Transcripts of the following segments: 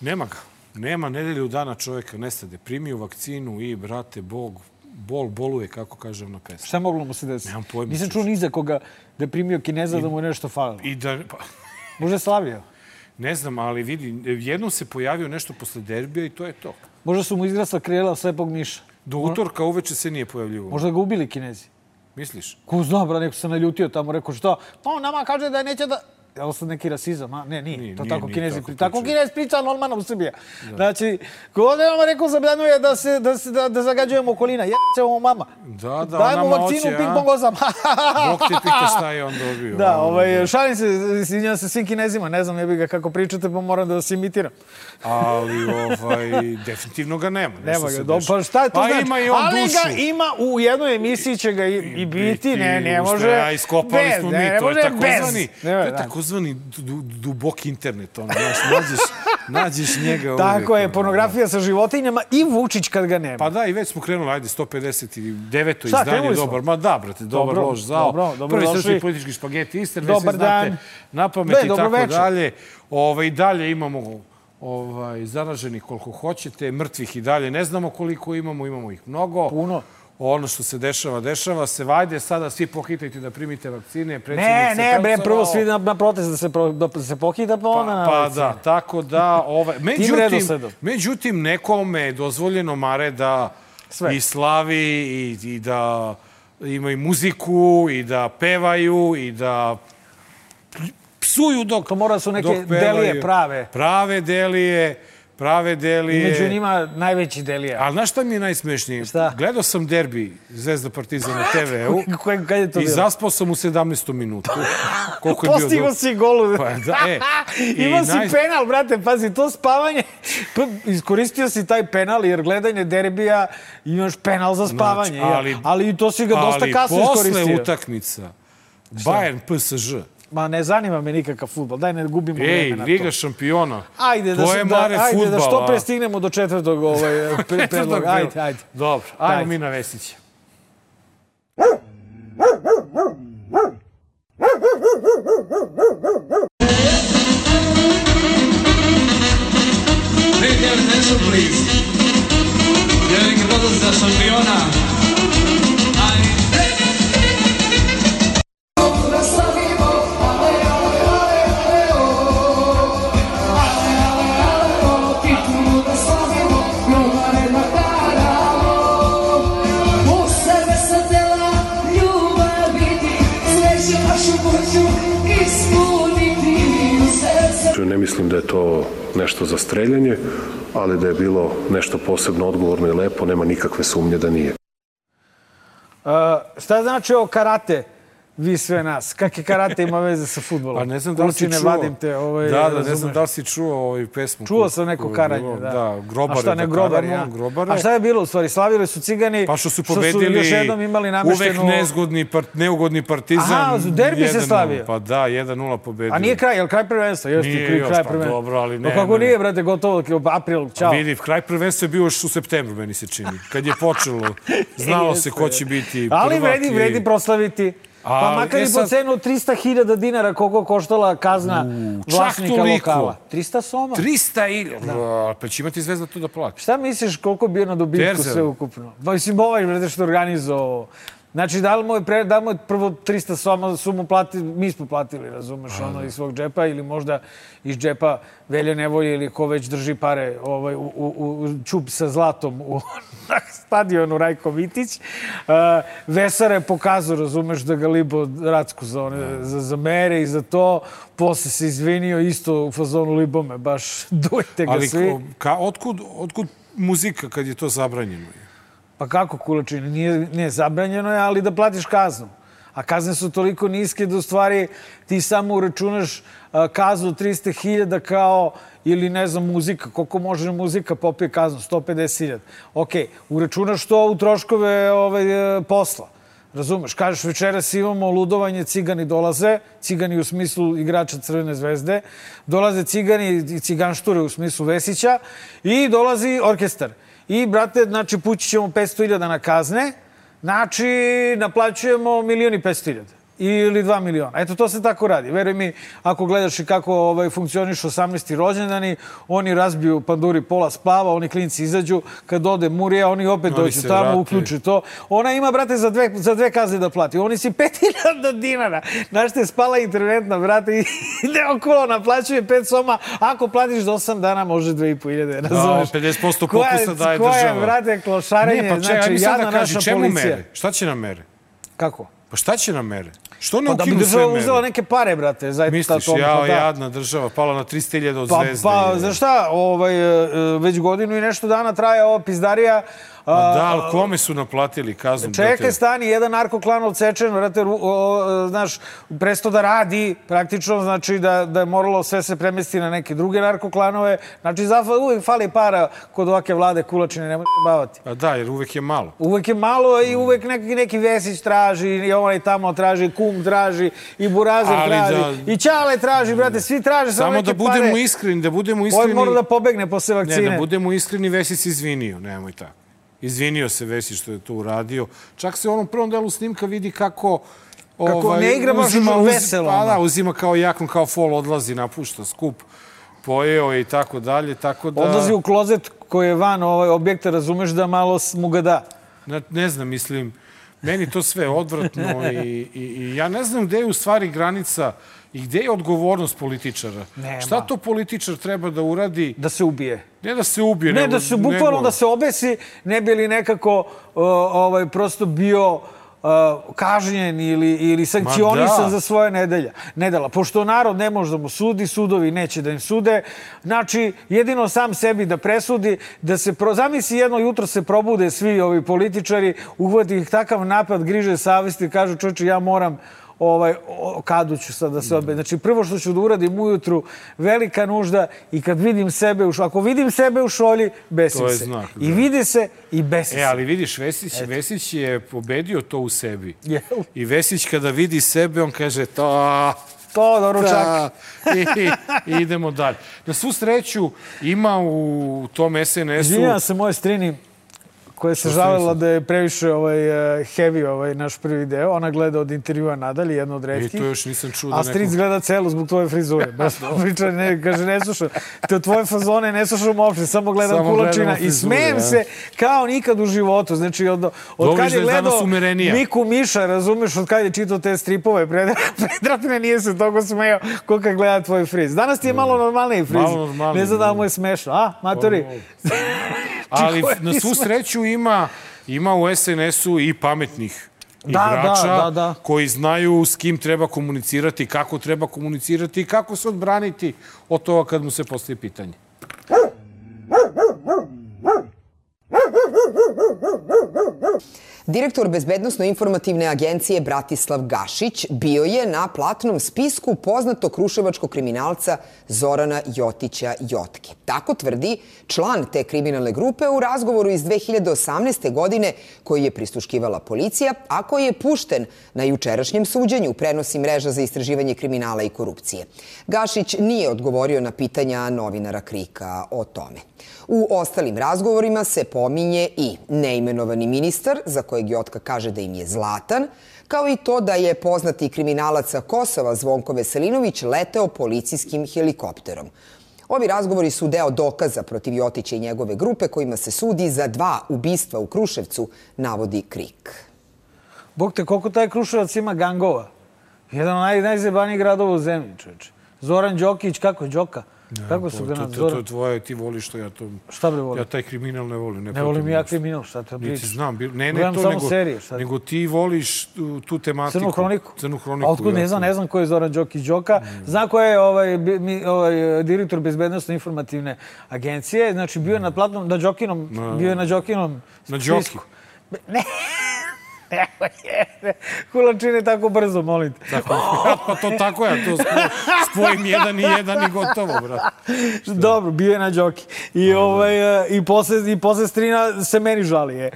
Nema ga. Nema nedelju dana čovjeka nestade. Primio vakcinu i, brate, bol boluje, kako kažem na pesmu. Šta moglo mu se desiti? Nemam pojma. Nisam čuo ni za koga da je primio Kineza da mu je nešto falilo. Možda je slavio. Ne znam, ali vidi, jednom se pojavio nešto posle derbija i to je to. Možda su mu izgrasla krila slepog miša. Do utorka uveče se nije pojavljivo. Možda ga ubili Kinezi. Misliš? Ko zna, bra, neko se naljutio tamo, rekao šta? Pa on nama kaže da neće da... Je li sad neki rasizam, a? Ne, nije. To tako Kinezi priča. Tako Kinez priča normalno u Srbiji. Znači, kod je nama rekao zabranjuje da zagađujemo okolina. Jeće ovo mama. Da, dajmo vakcinu, ping-pong osam. Bog ti pita šta je on dobio. Da, šalim se, izvinjam se svim Kinezima. Ne znam, ne bih ga kako pričate, pa moram da vas imitiram. Ali, definitivno ga nema. Nema ga, pa šta je to znači? Ima i on dušu. Ali ga ima, u jednoj emisiji će ga i biti, ne može... Ja, iskopali smo mi, to je takozvani... To je takozvani duboki internet, nađeš njega uvijek. Tako je, pornografija sa životinjama i Vučić kad ga nema. Pa da, i već smo krenuli, ajde, 159. izdanje, dobar. Ma da, brate, dobar lož zao. Prvi srpski politički špageti Isterne, sve znate, na pamet i tako dalje. I dalje imamo zaraženih koliko hoćete, mrtvih i dalje. Ne znamo koliko imamo ih mnogo. Puno. Ono što se dešava se. Vajde sada svi pohitajte da primite vakcine. Ne, bre, prvo svi na protest da se pohita, pa ona na vakcine. Pa da, tako da... Međutim, nekome je dozvoljeno, Mare, da i slavi i da imaju muziku i da pevaju i da psuju dok... To mora su neke delije prave. Prave delije. Među njima najveći delije. Ali znaš šta mi je najsmešnije? Šta? Gledao sam derbi Zvezda Partizan na TV-u i zaspao sam u 17. minutu. Postigo si golu. Imao si penal, brate, pazi, to spavanje. Iskoristio si taj penal jer gledanje derbija imaš penal za spavanje. Ali to si ga dosta kasno iskoristio. Ali posle utakmica Bayern PSG. Ma ne zanima me nikakav futbol, daj ne gubimo vreme na to. Liga šampiona, to je Mare futbala. Ajde da što pre stignemo do četvrtog predloga. Ajde. Dobro, ajmo mi na Vesića. Pay attention, please. Viene que todos da šampiona. Ne mislim da je to nešto za streljanje, ali da je bilo nešto posebno odgovorno i lepo, nema nikakve sumnje da nije. Šta znači ovo karate? Vi sve nas. Kakve karate ima veze sa futbolom? Pa ne znam da li si čuo. Ne znam da li si čuo pesmu. Čuo sam neko karanje, da. Da, Grobare. A šta ne Grobare? A šta je bilo u stvari? Slavili su Cigani. Pa što su pobedili uvek neugodni Partizan. Aha, derbi se slavio. Pa da, 1-0 pobedili. A nije kraj, je li kraj prvenstva? Nije još, pa dobro, ali ne. Kako nije, brate, gotovo, april, čao. Vidi, kraj prvenstva je bio još u septembru, meni se čini. Kad je počelo, znalo se ko će biti prvak. Ali vredi proslaviti. Pa makar i po cenu 300.000 dinara koliko koštala kazna vlasnika lokala. 300 soma. 300 pa će imati Zvezda to da plati. Šta misliš koliko bi je na dobitku sve ukupno? Mislim, ovaj što organizovao. Znači, da li mu je prvo 300 soma su mu platili, mi smo platili, razumeš, iz svog džepa ili možda iz džepa Velje Nevolje ili ko već drži pare u čup sa zlatom na stadionu Rajko Mitić. Vesara je pokazao, razumeš, da ga libo Racku za mere i za to. Posle se izvinio isto u fazonu libome, baš dujte ga svi. Ali otkud muzika kad je to zabranjeno? Pa kako, Kulačine? Nije zabranjeno je, ali da platiš kaznu. A kazne su toliko niske da u stvari ti samo uračunaš kaznu 300.000 kao, ili ne znam, muzika. Koliko može muzika popije kaznu? 150.000. Okej, uračunaš to u troškove posla. Razumeš? Kažeš, večeras imamo ludovanje, Cigani dolaze, Cigani u smislu igrača Crvene zvezde, dolaze Cigani i ciganšture u smislu Vesića i dolazi orkestar. I, brate, znači, pući ćemo 500.000 na kazne, znači, naplaćujemo 1.500.000. ili 2 miliona. Eto, to se tako radi. Veruj mi, ako gledaš i kako funkcionišu 18. rođendani, oni razbiju panduri pola splava, oni klinci izađu, kad ode Murija, oni opet dođu tamo, uključi to. Ona ima, brate, za dve kazne da plati. Oni si 5.000 dinara. Znaš te, spala internetna, brate, i ide okolo, naplaćuje 5 soma. Ako platiš do 8 dana, može 2.500, razumeš? 50% popusta daje država. Koja je, brate, klošarenje, znači, jadna naša policija. Šta će nam mere? Kako? Pa šta će nam mere? Što ne ukinu sve mere? Da bi država uzela neke pare, brate. Misliš, jadna država, pala na 300.000 od Zvezde. Pa, znaš šta, već godinu i nešto dana traje ova pizdarija. Da, ali kome su naplatili kaznu? Čekaj, stani, jedan narkoklan odsečen, vrate, znaš, presto da radi, praktično, znači da je moralo sve se premesti na neke druge narkoklanove. Znači, uvijek fali para kod ovake vlade Kulačine, nemoj se bavati. Pa da, jer uvijek je malo. Uvijek je malo i uvijek neki Vesić traži, i onaj tamo traži, Kum traži, i Burazer traži, i Ćale traži, brate, svi traže samo neke pare. Samo da budemo iskreni, Ovo mora da pobegne posle vakcine. Ne, da budemo iskreni, Vesić se izvinio, nemoj tako. Izvinio se Vesić što je to uradio. Čak se u onom prvom delu snimka vidi kako ne igra baš veselo. Pa da, uzima kao jakon, kao fol, odlazi, napušta skup, pojeo i tako dalje. Odlazi u klozet koji je van objekta, razumeš da malo mu ga da. Ne znam, mislim, meni to sve odvratno i ja ne znam gde je u stvari granica i gde je odgovornost političara. Šta to političar treba da uradi? Da se ubije. Ne da se ubije. Ne, da se bukvalno da se obesi, ne bi li nekako prosto bio kažnjen ili sankcionisan za svoje nedela. Pošto narod ne može da mu sudi, sudovi neće da im sude, znači jedino sam sebi da presudi, da se, zamisli jedno jutro se probude svi ovi političari, uhvati ih takav napad, griže savesti i kažu čoveče, ja moram kadu ću sad da se odbe. Znači, prvo što ću da uradim ujutru, velika nužda i kad vidim sebe ako vidim sebe u šolji, besim se. I vidi se i besi se. Ali vidiš, Vesić je pobedio to u sebi. I Vesić kada vidi sebe, on kaže to doručak. I idemo dalje. Na svu sreću ima u tom SNS-u... Izvinjam se moje strini koja se žalila da je previše heavy naš prvi deo. Ona gleda od intervjua nadalje, jedno od retkih. To još nisam čuo da neko... A stric gleda celu zbog tvoje frizure. Priča, kaže, ne slušam. Te tvoje fazone ne slušam uopšte, samo gledam Kulačina. I smejem se kao nikad u životu. Znači, od kad je gledao Miku Miša, razumeš, od kad je čitao te stripove, Predrapine nije se toliko smejao koliko gleda tvoj friz. Danas ti je malo normalniji friz. Ne znam da mu je smešno. A, matori? Ali na svu sreću ima u SNS-u i pametnih igrača koji znaju s kim treba komunicirati, kako treba komunicirati i kako se odbraniti od toga kad mu se postavi pitanje. Direktor Bezbednosno-informativne agencije Bratislav Gašić bio je na platnom spisku poznatog kruševačkog kriminalca Zorana Jotića Jotke. Tako tvrdi član te kriminalne grupe u razgovoru iz 2018. godine koji je prisluškivala policija, a koji je pušten na jučerašnjem suđenju, prenosi mreža za istraživanje kriminala i korupcije. Gašić nije odgovorio na pitanja novinara Krika o tome. U ostalim razgovorima se pominje i neimenovani ministar, za kojeg Jotka kaže da im je zlatan, kao i to da je poznati kriminalac sa Kosova Zvonko Veselinović leteo policijskim helikopterom. Ovi razgovori su deo dokaza protiv Jotića i njegove grupe kojima se sudi za 2 ubistva u Kruševcu, navodi Krik. Bog te, koliko taj Kruševac ima gangova? Jedan od najzajebanijih gradova u zemlji, čoveče. Zoran Đokić, kako je Đoka? Kako su ga nadzorali? To je tvoje, ti voliš to, ja to... Šta bi volio? Ja taj kriminal ne volim. Ne volim ja kriminal, šta te priča? Niti znam, ne to, nego ti voliš tu tematiku. Crnu hroniku. Crnu hroniku. A otkud ne znam ko je Zoran Đokić Đoka. Znam ko je direktor Bezbednosno-informativne agencije. Znači, bio je na platnom, bio je na Đokinom spisku. Ne. Kulačine tako brzo, molim te. Pa to tako je, to spojim 1 i 1 i gotovo, brate. Dobro, bio je na Đoki. I posle strina se meni žali.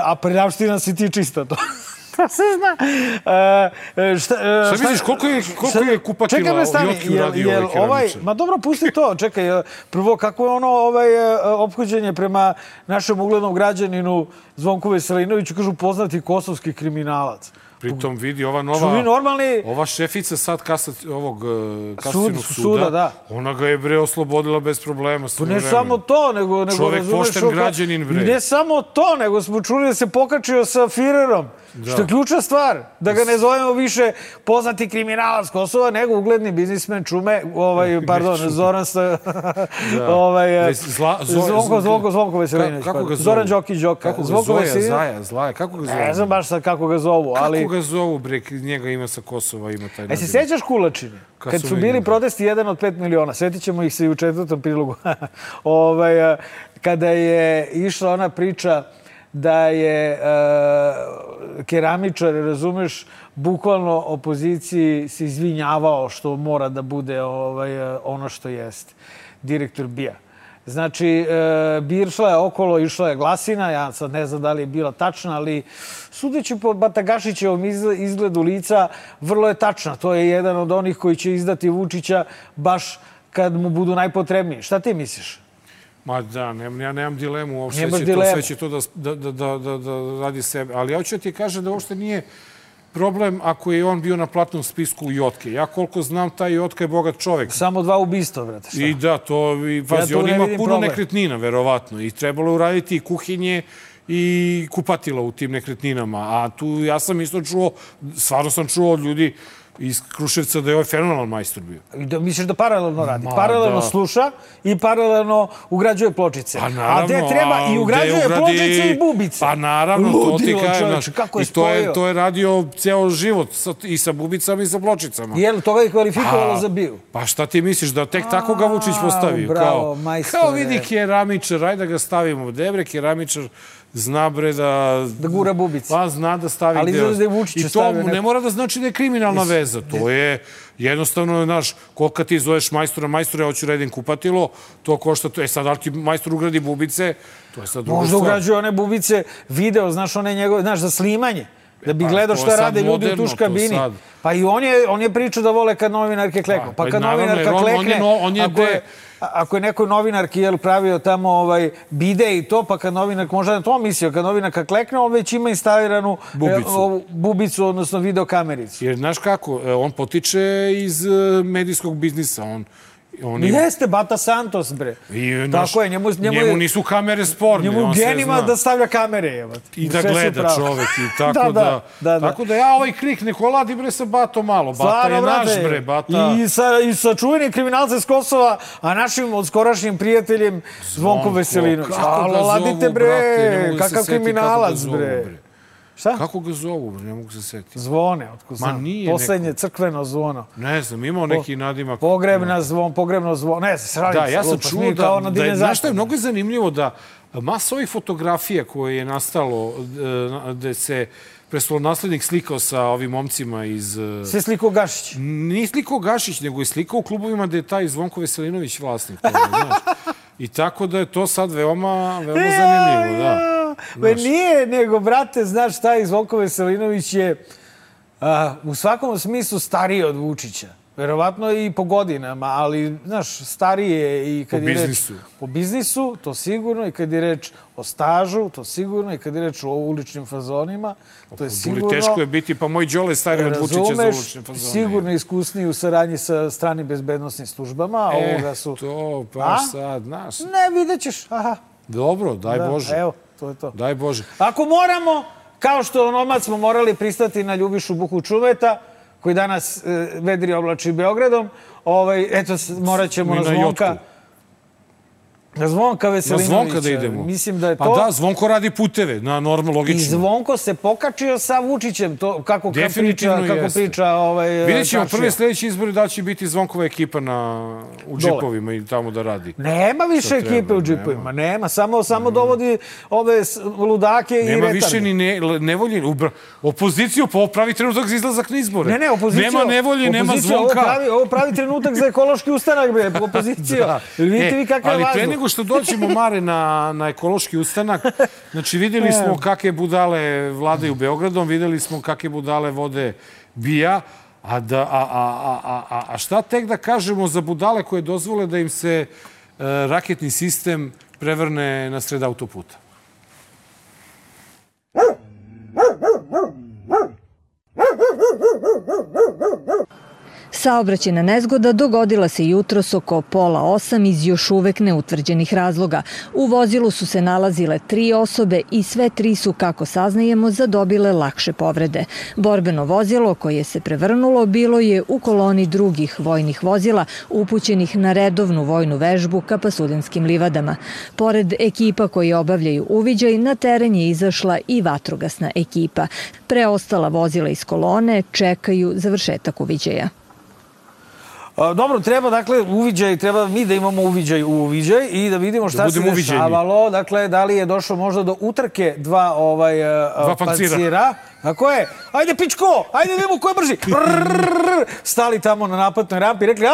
A predavština si ti čista to. To se zna. Šta misliš, koliko je kupatila Jotki uradio ovaj keramičar? Ma dobro, pusti to. Čekaj, prvo, kako je ono ophođenje prema našem uglednom građaninu Zvonku Veselinoviću, kažu poznati kosovski kriminalac. Pritom vidi ova nova... Ova šefica sad kasacionog suda, ona ga je, bre, oslobodila bez problema. Pa ne samo to, nego... Čovek pošten građanin, bre. Ne samo to, nego smo čuli da se pokačio sa Firerom. Što je ključna stvar. Da ga ne zovemo više poznati kriminalac Kosova, nego ugledni biznismen Čume, Zoran Zvonko Veselinović. Zoran Đokić Đoka. Kako ga zove? Zaja, kako ga zove? Ne znam baš sad kako ga zovu, ali... Kako ga zovu, bre, njega ima sa Kosova, ima taj naziv. Se sjećaš Kulačine? Kad su bili protesti 1 od 5 miliona, sjetit ćemo ih se i u 4. prilogu, kada je išla ona priča da je keramičar, razumeš, bukvalno opoziciji se izvinjavao što mora da bude ono što jeste. Direktor BIA. Znači, išla je okolo, išla je glasina, ja sad ne znam da li je bila tačna, ali sudeći po Batagašićevom izgledu lica, vrlo je tačna. To je jedan od onih koji će izdati Vučića baš kad mu budu najpotrebniji. Šta ti misliš? Ma da, ja nemam dilemu uopšte. Sve će to da radi sebe. Ali ja hoću da ti kažem da uopšte nije problem ako je on bio na platnom spisku Jotke. Ja koliko znam, taj Jotka je bogat čovek. Samo 2 ubistva, brate. I da, pazi, on ima puno nekretnina, verovatno. I trebalo je uraditi i kuhinje i kupatila u tim nekretninama. A tu ja sam isto čuo, stvarno sam čuo od ljudi iz Kruševca da je ovaj fenomenalan majstor bio. Da misliš da paralelno radi? Paralelno sluša i paralelno ugrađuje pločice. Pa naravno. A gde treba i ugrađuje pločice i bubice. Pa naravno, to ti kažem. I to je radio ceo život i sa bubicama i sa pločicama. Jel, to ga je kvalifikovalo za bio? Pa šta ti misliš, da tek tako ga Vučić postavio? Bravo, majstore. Kao vidi keramičar, ajde da ga stavimo. Debre, keramičar zna, bre, da gura bubice. Pa zna da stavi deo. I to ne mora da znači da je kriminalna veza. To je jednostavno, znaš, koliko ti zoveš majstora, ja hoću redim kupatilo, to košta to. Sad, ali ti majstor ugradi bubice, to je sad druga stvar. Možda ugrađuje one bubice, video, znaš, one njegove, znaš, za snimanje. Da bi gledao šta rade ljudi u tuš kabini. Pa i on je pričao da vole kad novinarke kleknu. Pa kad novinarka klekne, ako je nekoj novinarki pravio tamo bide i to, pa kad novinarka, možda na to mislio, kad novinarka klekne, on već ima instaliranu bubicu, odnosno videokamericu. Jer, znaš kako, on potiče iz medijskog biznisa, Jeste, Bata Santos, bre. Tako je, njemu nisu kamere sporne. Njemu genima da stavlja kamere. I da gleda čovek. Tako da ja ovaj krik ne koladi, bre, sa Batom malo. Bata je naš, bre, Bata. I sa čuvenim kriminalcem s Kosova, a našim odskorašnjim prijateljem Zvonkom Veselinović. Alo, ladite, bre, kakav kriminalac, bre. Šta? Kako ga zovu? Ne mogu se setiti. Zvone, otko znam. Poslednje crkveno zvono. Ne znam, imao neki nadimak. Pogrebno zvono. Ne znam, da, ja sam čuo da znaš šta je mnogo zanimljivo da masa ovih fotografija koje je nastalo, gde se prestolonaslednik slikao sa ovim momcima iz... Sve slikao Gašić? Nije slikao Gašić, nego je slikao u klubovima gde je taj Zvonko Veselinović vlasnik. I tako da je to sad veoma zanimljivo, da. Nije, nego, brate, znaš šta, Zvonko Veselinović je u svakom smislu stariji od Vučića. Verovatno i po godinama, ali, znaš, stariji je i kad je reč o biznisu, to sigurno, i kad je reč o stažu, to sigurno, i kad je reč o uličnim fazonima, to je sigurno. Teško je biti, pa moj Đole stariji od Vučića za ulične fazone. Sigurno iskusniji u saradnji sa stranim bezbednostnim službama, a ovoga su... To, pa sad, znaš. Ne, vidjet ćeš, aha. Dobro, daj Bože. Evo, to je to. Daj Bože. Ako moramo, kao što onomad smo morali pristati na Ljubišu Buhu Čumeta, koji danas vedri oblači Beogradom, eto, morat ćemo na Zvonka. Na Zvonka Veselinovića. Na Zvonka da idemo. Mislim da je to... Pa da, Zvonko radi puteve, normalno, logično. I Zvonko se pokačio sa Vučićem, kako priča... Vidjet ćemo prve sledeće izbore da će biti Zvonkova ekipa u džipovima i tamo da radi. Nema više ekipe u džipovima, nema. Samo dovodi ove ludake i retarde. Nema više ni nevolje. Opoziciju, pa ovo pravi trenutak za izlazak na izbore. Ne, opoziciju. Nema nevolje, nema Zvonka. Ovo pravi trenutak za ekološki ustanak, bre, opoziciju. Vidite vi kakav je vazduh. Nego što dođemo, Mare, na ekološki ustanak, znači videli smo kakve budale vladaju Beogradom, videli smo kakve budale vode BIA, a šta tek da kažemo za budale koje dozvole da im se raketni sistem prevrne na sred autoputa? Saobraćajna nezgoda dogodila se jutros oko 7:30 iz još uvek neutvrđenih razloga. U vozilu su se nalazile 3 osobe i sve 3 su, kako saznajemo, zadobile lakše povrede. Borbeno vozilo koje se prevrnulo bilo je u koloni drugih vojnih vozila upućenih na redovnu vojnu vežbu ka Pasuljenskim livadama. Pored ekipa koji obavljaju uviđaj, na teren je izašla i vatrogasna ekipa. Preostala vozila iz kolone čekaju završetak uviđaja. Dobro, treba, dakle, uviđaj, treba mi da imamo uviđaj u uviđaj i da vidimo šta se dešavalo. Dakle, da li je došlo možda do utrke dva pancira. Tako je. Ajde, pičko! Ajde, vidimo ko je brži. Stali tamo na naplatnoj rampi i rekli,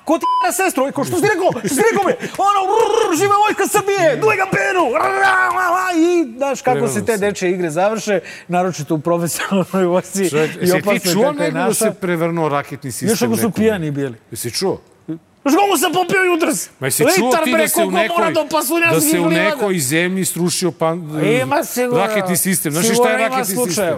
ko ti na sestru? Što si rekao? Što si rekao me? Živa vojska Srbije! Duj ga penu! I, znaš, kako se te dečje igre završe, naročito u profesionalnoj vojsci i opasno kako je naša. Jesi ti čuo nego da se prevrnuo raketni sistem? Još ako su pijani bili. Jesi čuo? Znaš kako sam popio jutros? Ma jesi čuo ti da se u nekoj zemlji strušio raketni sistem? Znaš šta je raketni sistem?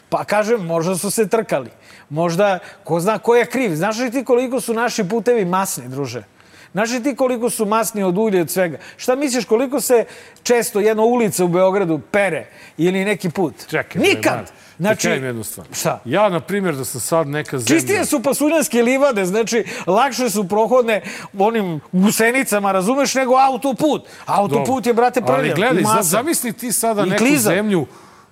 Pa kažem, možda su se trkali. Možda, ko zna ko je kriv. Znaš li ti koliko su naši putevi masni, druže? Znaš li ti koliko su masni od ulja i od svega? Šta misliš koliko se često jedna ulica u Beogradu pere ili neki put? Čekaj, nikad! Znači, jednu stvar. Šta? Ja, na primjer, da sam sad neka zemlja... Čistije su Pasuljanske livade, znači, lakše su prohodne onim gusenicama, razumeš, nego autoput. Autoput je, brate, prljav. Ali gledaj, zamisli ti sada neku zemlju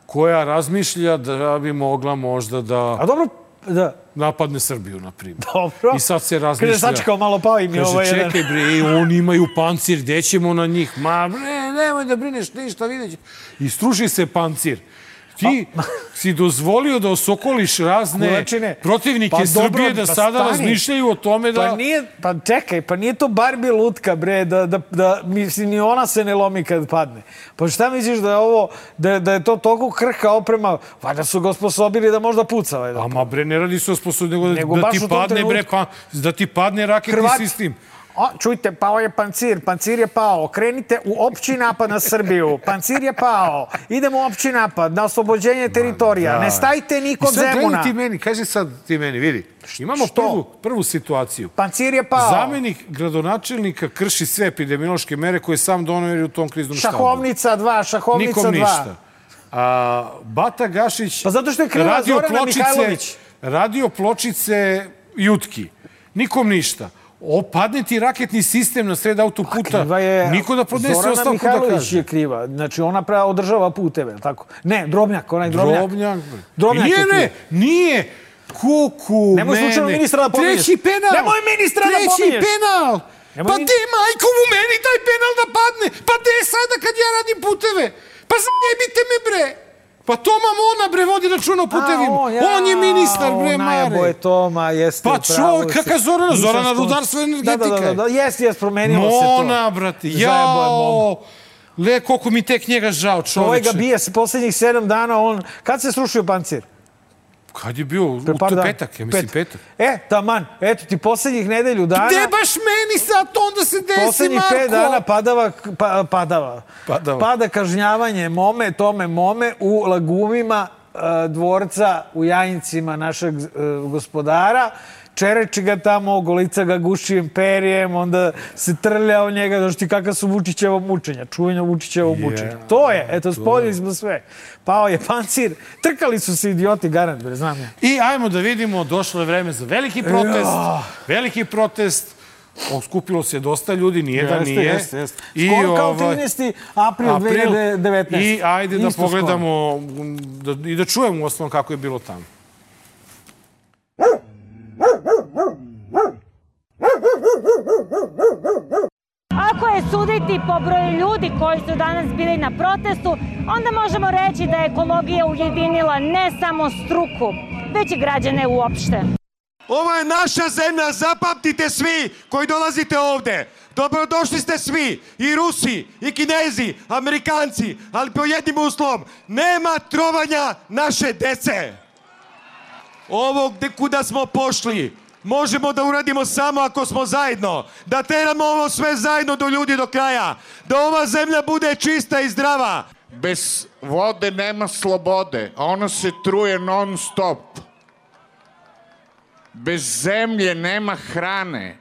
koja razmišlja da bi mogla možda da... A dobro, da. Napadne Srbiju, na primjer. Dobro. I sad se razmišlja... Kada sačekao malo pao im je ovaj jedan... Čekaj, bre, oni imaju pancir, gde ćemo na njih? Ma, bre, nemoj da brineš ništa, vidjet će. I struši se pancir. Ti si dozvolio da osokoliš razne protivnike Srbije da sada razmišljaju o tome da... Pa čekaj, pa nije to Barbie lutka, bre, da mislim, ni ona se ne lomi kad padne. Pa šta misliš da je ovo, da je to toliko krhka oprema, valjda su ga osposobili da možda puca. Ama bre, ne radi se osposobili, nego da ti padne, bre, da ti padne raketni sistem. Čujte, pao je pancir je pao, krenite u opći napad na Srbiju, pancir je pao, idemo u opći napad na oslobođenje teritorija, ne stajte niko Zemuna. I sad gledaj ti meni, kaži sad ti meni, vidi, imamo prvu situaciju. Pancir je pao. Zamenik gradonačelnika krši sve epidemiološke mere koje sam donio u tom kriznom štabu. Šahovnica 2. Nikom ništa. Bata Gašić pa zato što je kriva Zorana Mihajlović. Radio Pločice Jutki. Nikom ništa. Padne ti raketni sistem na sred autoputa, niko da podnese ostavku da kaže. Zorana Mihajlović je kriva. Znači, ona održava puteve, tako? Ne, Drobnjak, onaj Drobnjak. Drobnjak je kriva. Nije. Kuku, mene. Nemoj slučajno ministra da pominješ. Treći penal. Nemoj ministra da pominješ. Treći penal. Pa te majko u meni taj penal da padne. Pa te sada kad ja radim puteve. Pa zajebite me, bre. Pa Toma Mona, bre, vodi računa o putevima. On je ministar, bre, Mare. Najbolje Toma, jeste pravo. Pa čovjek, kakva Zorana rudarstva energetika. Da, jest, promenilo se to. Mona, brate, jao. Le, koliko mi tek njega žao, čoveče. Ovaj ga bije se poslednjih 7 dana, kad se srušio pancir? Kad je bio? U petak, ja mislim petak. Taman, eto ti poslednjih nedelju dana... Gde baš meni sad to onda se desi, Marko? Poslednjih 5 dana pada kažnjavanje mome u lagumima dvorca u Jajincima našeg gospodara. Čereči ga tamo, golica ga gušijim perijem, onda se trlja o njega, znaš ti kakva su Vučićeva mučenja, čuvanja Vučićeva mučenja. To je, eto, spoljili smo sve. Pao je pancir, trkali su se idioti, garant, bre, znam ja. I ajmo da vidimo, došlo je vreme za veliki protest, skupilo se dosta ljudi, nijedan nije. Jeste. Skoro kao 13. april 2019. I ajde da pogledamo i da čujemo u osnovu kako je bilo tamo. Ako je suditi po broju ljudi koji su danas bili na protestu, onda možemo reći da je ekologija ujedinila ne samo struku, već i građane uopšte. Ovo je naša zemlja, zapamtite svi koji dolazite ovde. Dobrodošli ste svi, i Rusi, i Kinezi, Amerikanci, ali po jednim uslovom, nema trovanja naše dece. Ovo gde kuda smo pošli, možemo da uradimo samo ako smo zajedno, da teramo ovo sve zajedno do ljudi do kraja, da ova zemlja bude čista i zdrava. Bez vode nema slobode, a ona se truje non stop. Bez zemlje nema hrane.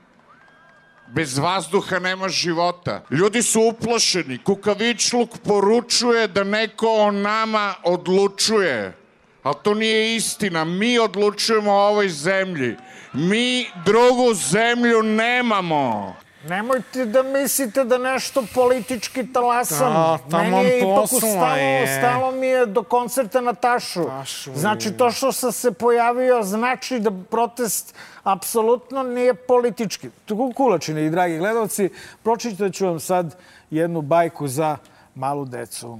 Bez vazduha nema života. Ljudi su uplošeni. Kukavičluk poručuje da neko o nama odlučuje. Ali to nije istina. Mi odlučujemo o ovoj zemlji. Mi drugu zemlju nemamo. Nemojte da mislite da nešto politički talasam. Meni je ipak stalo mi je do koncerta na Tašu. Znači, to što sam se pojavio znači da protest apsolutno nije politički. Kulačine i dragi gledalci, pročitat ću vam sad jednu bajku za malu decu.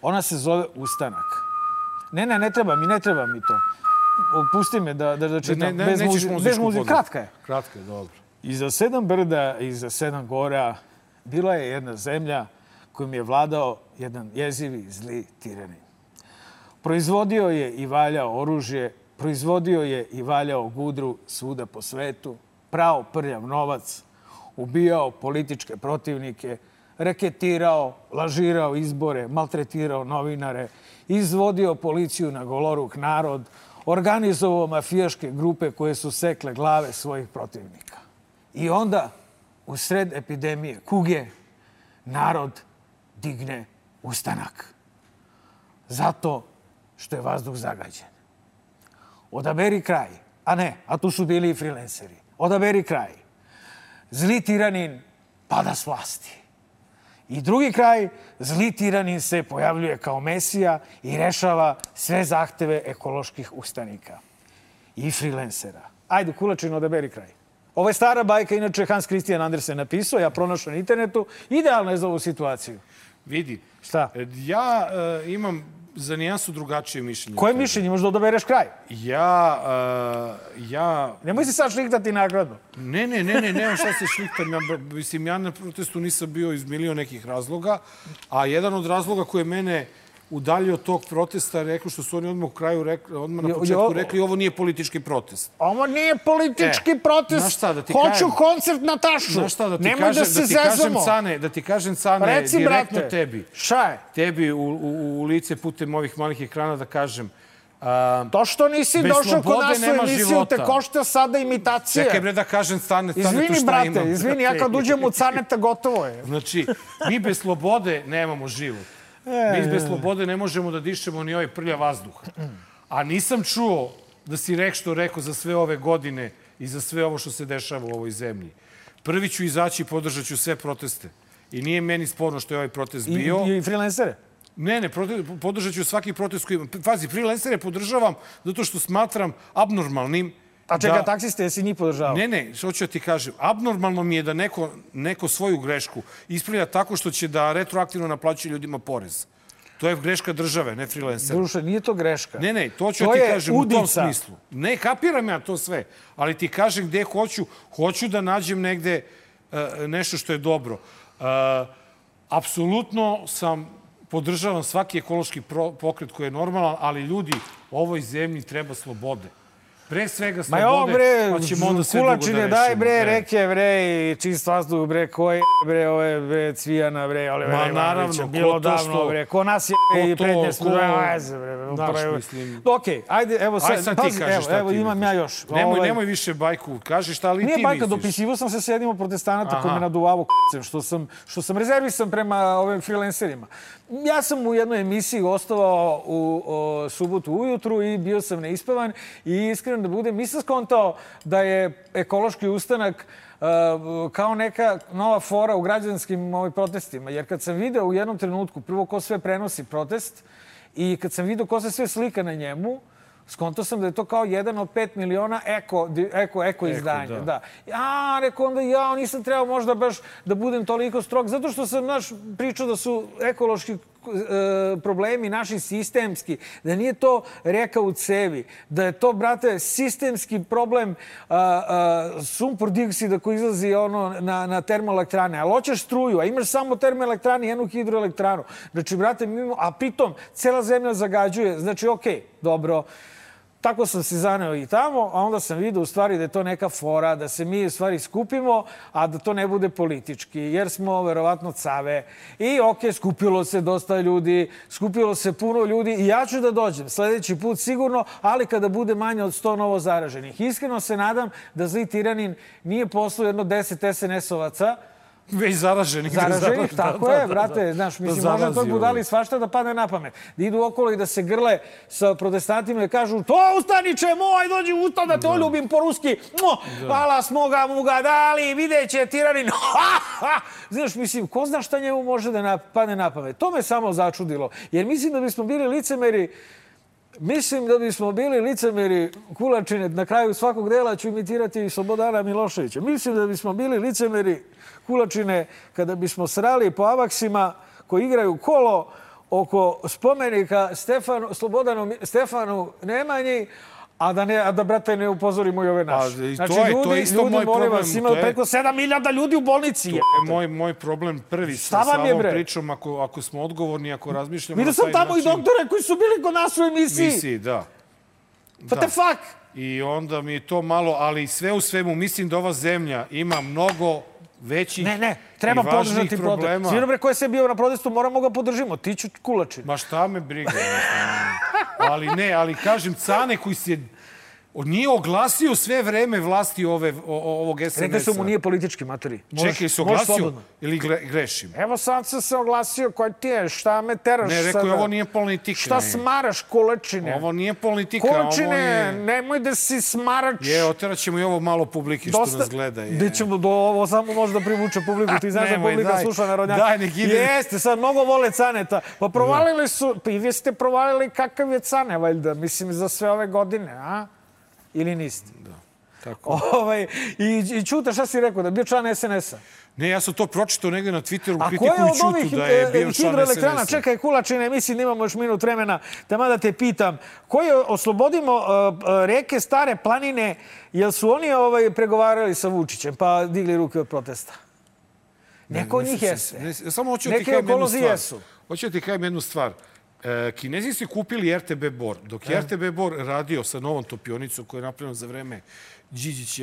Ona se zove Ustanak. Ne treba mi to. Pusti me da čitam. Bez muzike. Kratka je. Kratka je, dobro. Iza 7 brda, iza 7 gora, bila je jedna zemlja kojom je vladao jedan jezivi, zli tiranin. Proizvodio je i valjao oružje, proizvodio je i valjao gudru svuda po svetu, prao prljav novac, ubijao političke protivnike, reketirao, lažirao izbore, maltretirao novinare, izvodio policiju na goloruk narod, organizovao mafijaške grupe koje su sekle glave svojih protivnika. I onda, u sred epidemije kuge, narod digne ustanak. Zato što je vazduh zagađen. Odaberi kraj. A tu su bili i freelanceri. Odaberi kraj. Zli tiranin pada s vlasti. I drugi kraj, zli tiranin se pojavljuje kao mesija i rešava sve zahteve ekoloških ustanika. I freelancera. Ajde, Kulačin, odaberi kraj. Ovo je stara bajka, inače Hans Christian Andersen napisao, ja pronašao na internetu. Idealno je za ovu situaciju. Vidi. Šta? Ja imam za nijansu drugačije mišljenje. Koje mišljenje? Možda odabereš kraj? Ja... Nemoj se sad šliktati nakladno. Ne, nemam šta se šliktam. Mislim, ja na protestu nisam bio iz milion nekih razloga, a jedan od razloga koji je mene udaljio od tog protesta, rekli što su oni odmah na početku rekli, ovo nije politički protest. Ovo nije politički protest. Hoću koncert na Tašu. Nemoj da se zezamo. Da ti kažem, Cane, direktno tebi. Šta je? Tebi u lice putem ovih malih ekrana da kažem. To što nisi došao kod nas u emisiju te košta sada imitacija. Čekaj bre da kažem Canetu šta imam. Izvini, brate, izvini, ja kad uđem u Caneta gotovo je. Znači, mi bez slobode nemamo život. Mi bez slobode ne možemo da dišemo ni ovaj prlja vazduh. A nisam čuo da si rekao za sve ove godine i za sve ovo što se dešava u ovoj zemlji. Prvi ću izaći i podržat ću sve proteste. I nije meni sporno što je ovaj protest bio. I freelancere? Ne, podržat ću svaki protest koji... Pazi, freelancere podržavam zato što smatram abnormalnim. A čeka, taksiste, jesi njih podržavao? Ne, što ću ti kažem. Abnormalno mi je da neko svoju grešku ispravlja tako što će da retroaktivno naplaćuje ljudima porez. To je greška države, ne freelancera. Duše, nije to greška. Ne, to ću ti kažem u tom smislu. Ne, kapiram ja to sve, ali ti kažem gde hoću. Hoću da nađem negde nešto što je dobro. Apsolutno podržavam svaki ekološki pokret koji je normalan, ali ljudi, ovoj zemlji treba slobode. Pre svega slobode, pa ćemo onda sve drugo da rešimo. Kulačine, daj bre, reke bre, i čist vazduh bre, koje bre, ove bre, Cvijana bre, Olivera Ivanovića, bilo davno bre, ko nas je i prednje smo, ajze bre. Okej, ajde, evo sad, evo imam ja još. Nemoj više bajku, kaži šta li ti misliš. Nije bajka, dopisivo sam se s jednim od protestanata koji me naduvavo što sam rezervisan prema ovim freelancerima. Ja sam u jednoj emisiji gostovao u subotu ujutru i bio sam neispavan i iskreno da budem, nisam skontao da je ekološki ustanak kao neka nova fora u građanskim protestima. Jer kad sam video u jednom trenutku, prvo ko sve prenosi protest i kad sam video ko se sve slika na njemu, skontao sam da je to kao 1 od 5 miliona eko izdanja. Da. Rekao onda nisam trebao možda baš da budem toliko strog, zato što sam pričao da su ekološki problemi naši sistemski, da nije to reka u cevi, da je to, brate, sistemski problem sumpor dioksida koji izlazi na termoelektrane. Ali hoćeš struju, a imaš samo termoelektrane i jednu hidroelektranu. Znači, brate, a pritom cela zemlja zagađuje. Znači, okej, dobro, tako sam se zaneo i tamo, a onda sam vidio u stvari da je to neka fora, da se mi u stvari skupimo, a da to ne bude politički, jer smo verovatno cave. I skupilo se dosta ljudi, skupilo se puno ljudi i ja ću da dođem sledeći put sigurno, ali kada bude manje od 100 novo zaraženih. Iskreno se nadam da zli tiranin nije poslao jedno 10 SNS-ovaca, već zaraženih. Zaraženih, tako je, brate. Znaš, mislim, može toj budali svašta da padne na pamet. Da idu okolo i da se grle sa protestantima i kažu to ustaniče moj, dođi ustav da te oljubim po ruski. Hvala smoga muga dali, videće tiranin. Znaš, mislim, ko zna šta njemu može da padne na pamet. To me samo začudilo. Jer mislim da bismo bili licemeri Kulačine, na kraju svakog dela ću imitirati i Slobodana Miloševića. Mislim da bismo bili licemeri Kulačine kada bismo srali po avaksima koji igraju kolo oko spomenika Stefanu Nemanji, a da, brate, ne upozorimo i ove naše. Znači, ljudi, molim vas, ima preko 7.000 ljudi u bolnici. To je moj problem prvi sa ovom pričom, ako smo odgovorni, ako razmišljamo... Vidio sam tamo i doktore koji su bili kod nas u emisiji. Da. What the fuck? I onda mi je to malo, ali sve u svemu, mislim da ova zemlja ima mnogo većih treba i važnijih problema. Svi dobre, ko je se bio na protestu, moramo ga podržimo. Ti ću Kulačin. Ma šta me briga. Ali kažem, Cane koji se nije oglasio sve vreme vlasti ovog SNS-a. Rekli su mu nije politički, materi. Čekaj, se oglasio ili grešim? Evo sad sam se oglasio, koji ti je, šta me teraš sada? Ne, rekao je, ovo nije politika. Šta smaraš, Kulačine? Ovo nije politika, Kulačine, nemoj da si smarač. Oteraat ćemo i ovo malo publike što nas gleda. Gde ćemo ovo samo može da privuče publiku. Ti znaš da publika sluša narodnjaka. Daj, nek ide. Jeste, sad mnogo vole Caneta. Pa provalili su, pa i vi ste provalili kakav je Cane, valjda, mislim, za sve ove godine, a? Ili niste? Da, tako. I Ćuta, šta si rekao, da je bio član SNS-a? Ne, ja sam to pročitao negde na Twitteru, kritikuju Ćutu da je bio član SNS-a. Čekaj, Kulačine, mislim da imamo još minut vremena, da te pitam, koji oslobodimo reke Stare planine, jel su oni pregovarali sa Vučićem, pa digli ruke od protesta? Neko od njih jeste. Samo hoću ti kajem jednu stvar. Hoću ti kajem jednu stvar. Kinezi su kupili RTB Bor. Dok je RTB Bor radio sa novom topionicom koja je napravljena za vreme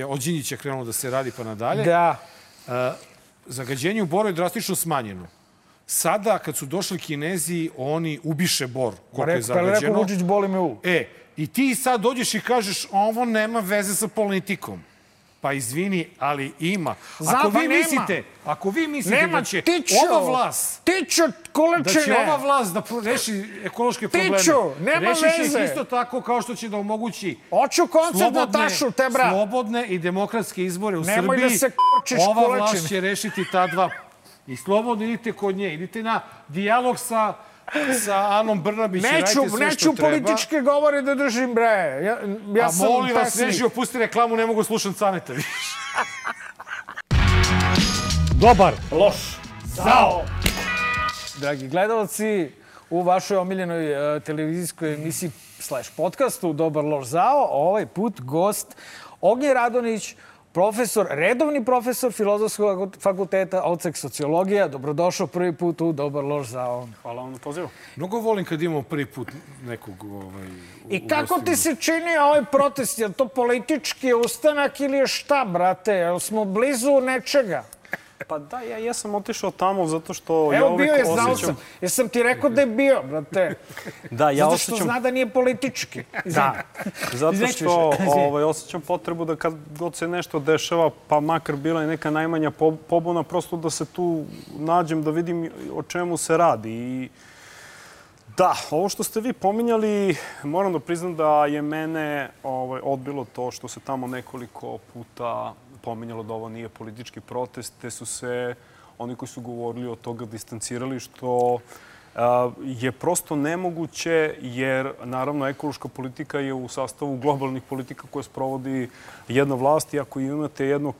od Đinđića krenulo da se radi pa nadalje, zagađenje u Boru je drastično smanjeno. Sada, kad su došli Kinezi, oni ubiše Bor koliko je zagađeno. Rekao Vučić, boli me u. I ti sad dođeš i kažeš ovo nema veze sa politikom. Pa izvini, ali ima. Ako vi mislite da će ova vlast da reši ekološke probleme, reši će isto tako kao što će da omogući slobodne i demokratske izbore u Srbiji. Ova vlast će rešiti ta dva. I slobodno idite kod nje. Idite na dijalog sa Anom Brnabić. Neću političke govore da držim, bre. Ja sam molim vas, Neži, opusti reklamu, ne mogu slušati Caneta više. Dobar, loš, zao. Dragi gledalci, u vašoj omiljenoj televizijskoj emisiji / podcastu Dobar, loš, zao, ovaj put gost Ognjen Radonjić, redovni profesor Filozofskog fakulteta, odsek sociologija. Dobrodošao prvi put u Dobar, loš, zao. Hvala vam na pozivu. Mnogo volim kad imamo prvi put nekog I kako ti se čini ovaj protest? Je li to politički ustanak ili je šta, brate? Jel smo blizu nečega? Pa da, ja sam otišao tamo zato što... Evo, bio je, znao sam. Jesam ti rekao da je bio, brate. Da, ja osjećam... Zato što zna da nije politički. Da. Zato što osjećam potrebu da kad god se nešto dešava, pa makar bila i neka najmanja pobuna, prosto da se tu nađem, da vidim o čemu se radi. I da, ovo što ste vi pominjali, moram da priznam da je mene odbilo to što se tamo nekoliko puta pominjalo da ovo nije politički protest, te su se oni koji su govorili od toga distancirali, što je prosto nemoguće, jer naravno ekološka politika je u sastavu globalnih politika koje sprovodi jedna vlast i ako imate jednu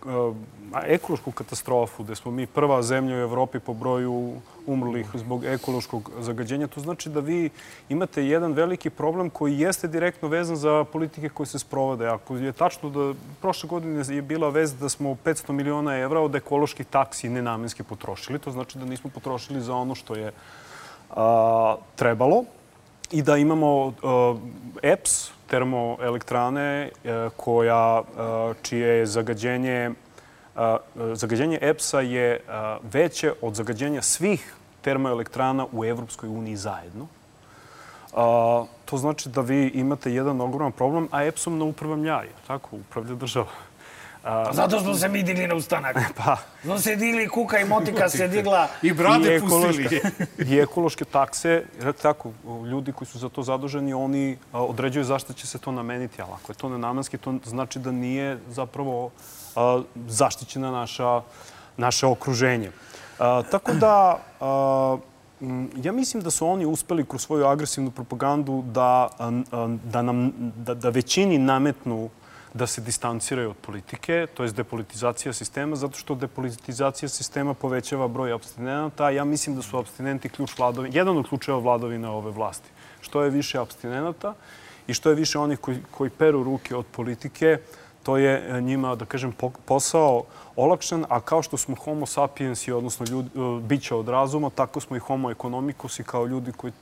ekološku katastrofu gde smo mi prva zemlja u Evropi po broju umrlih zbog ekološkog zagađenja, to znači da vi imate jedan veliki problem koji jeste direktno vezan za politike koje se sprovode. Ako je tačno da prošle godine je bila vez da smo 500 miliona evra od ekoloških taksi nenamenski potrošili, to znači da nismo potrošili za ono što je trebalo. i da imamo EPS, termoelektrane, čije je zagađenje EPS-a je veće od zagađenja svih termoelektrana u Evropskoj uniji zajedno. To znači da vi imate jedan ogroman problem, a EPS-om ne upravljam ja, tako, upravlja država. Zato smo se mi digli na ustanak. Smo se digli, kuka i motika se digla. I brade pustili. I ekološke takse, tako, ljudi koji su za to zaduženi, oni određuju zašto će se to nameniti, ali ako je to nenamenski, to znači da nije zapravo zaštićena naše okruženje. Tako da, ja mislim da su oni uspeli kroz svoju agresivnu propagandu da većini nametnu da se distanciraju od politike, to je depolitizacija sistema, zato što depolitizacija sistema povećava broj apstinenata. Ja mislim da su apstinenti jedan od ključeva vladavine ove vlasti. Što je više apstinenata i što je više onih koji peru ruke od politike, to je njima, da kažem, posao olakšan, a kao što smo homo sapiensi, odnosno bića od razuma, tako smo i homo economicus i kao ljudi koji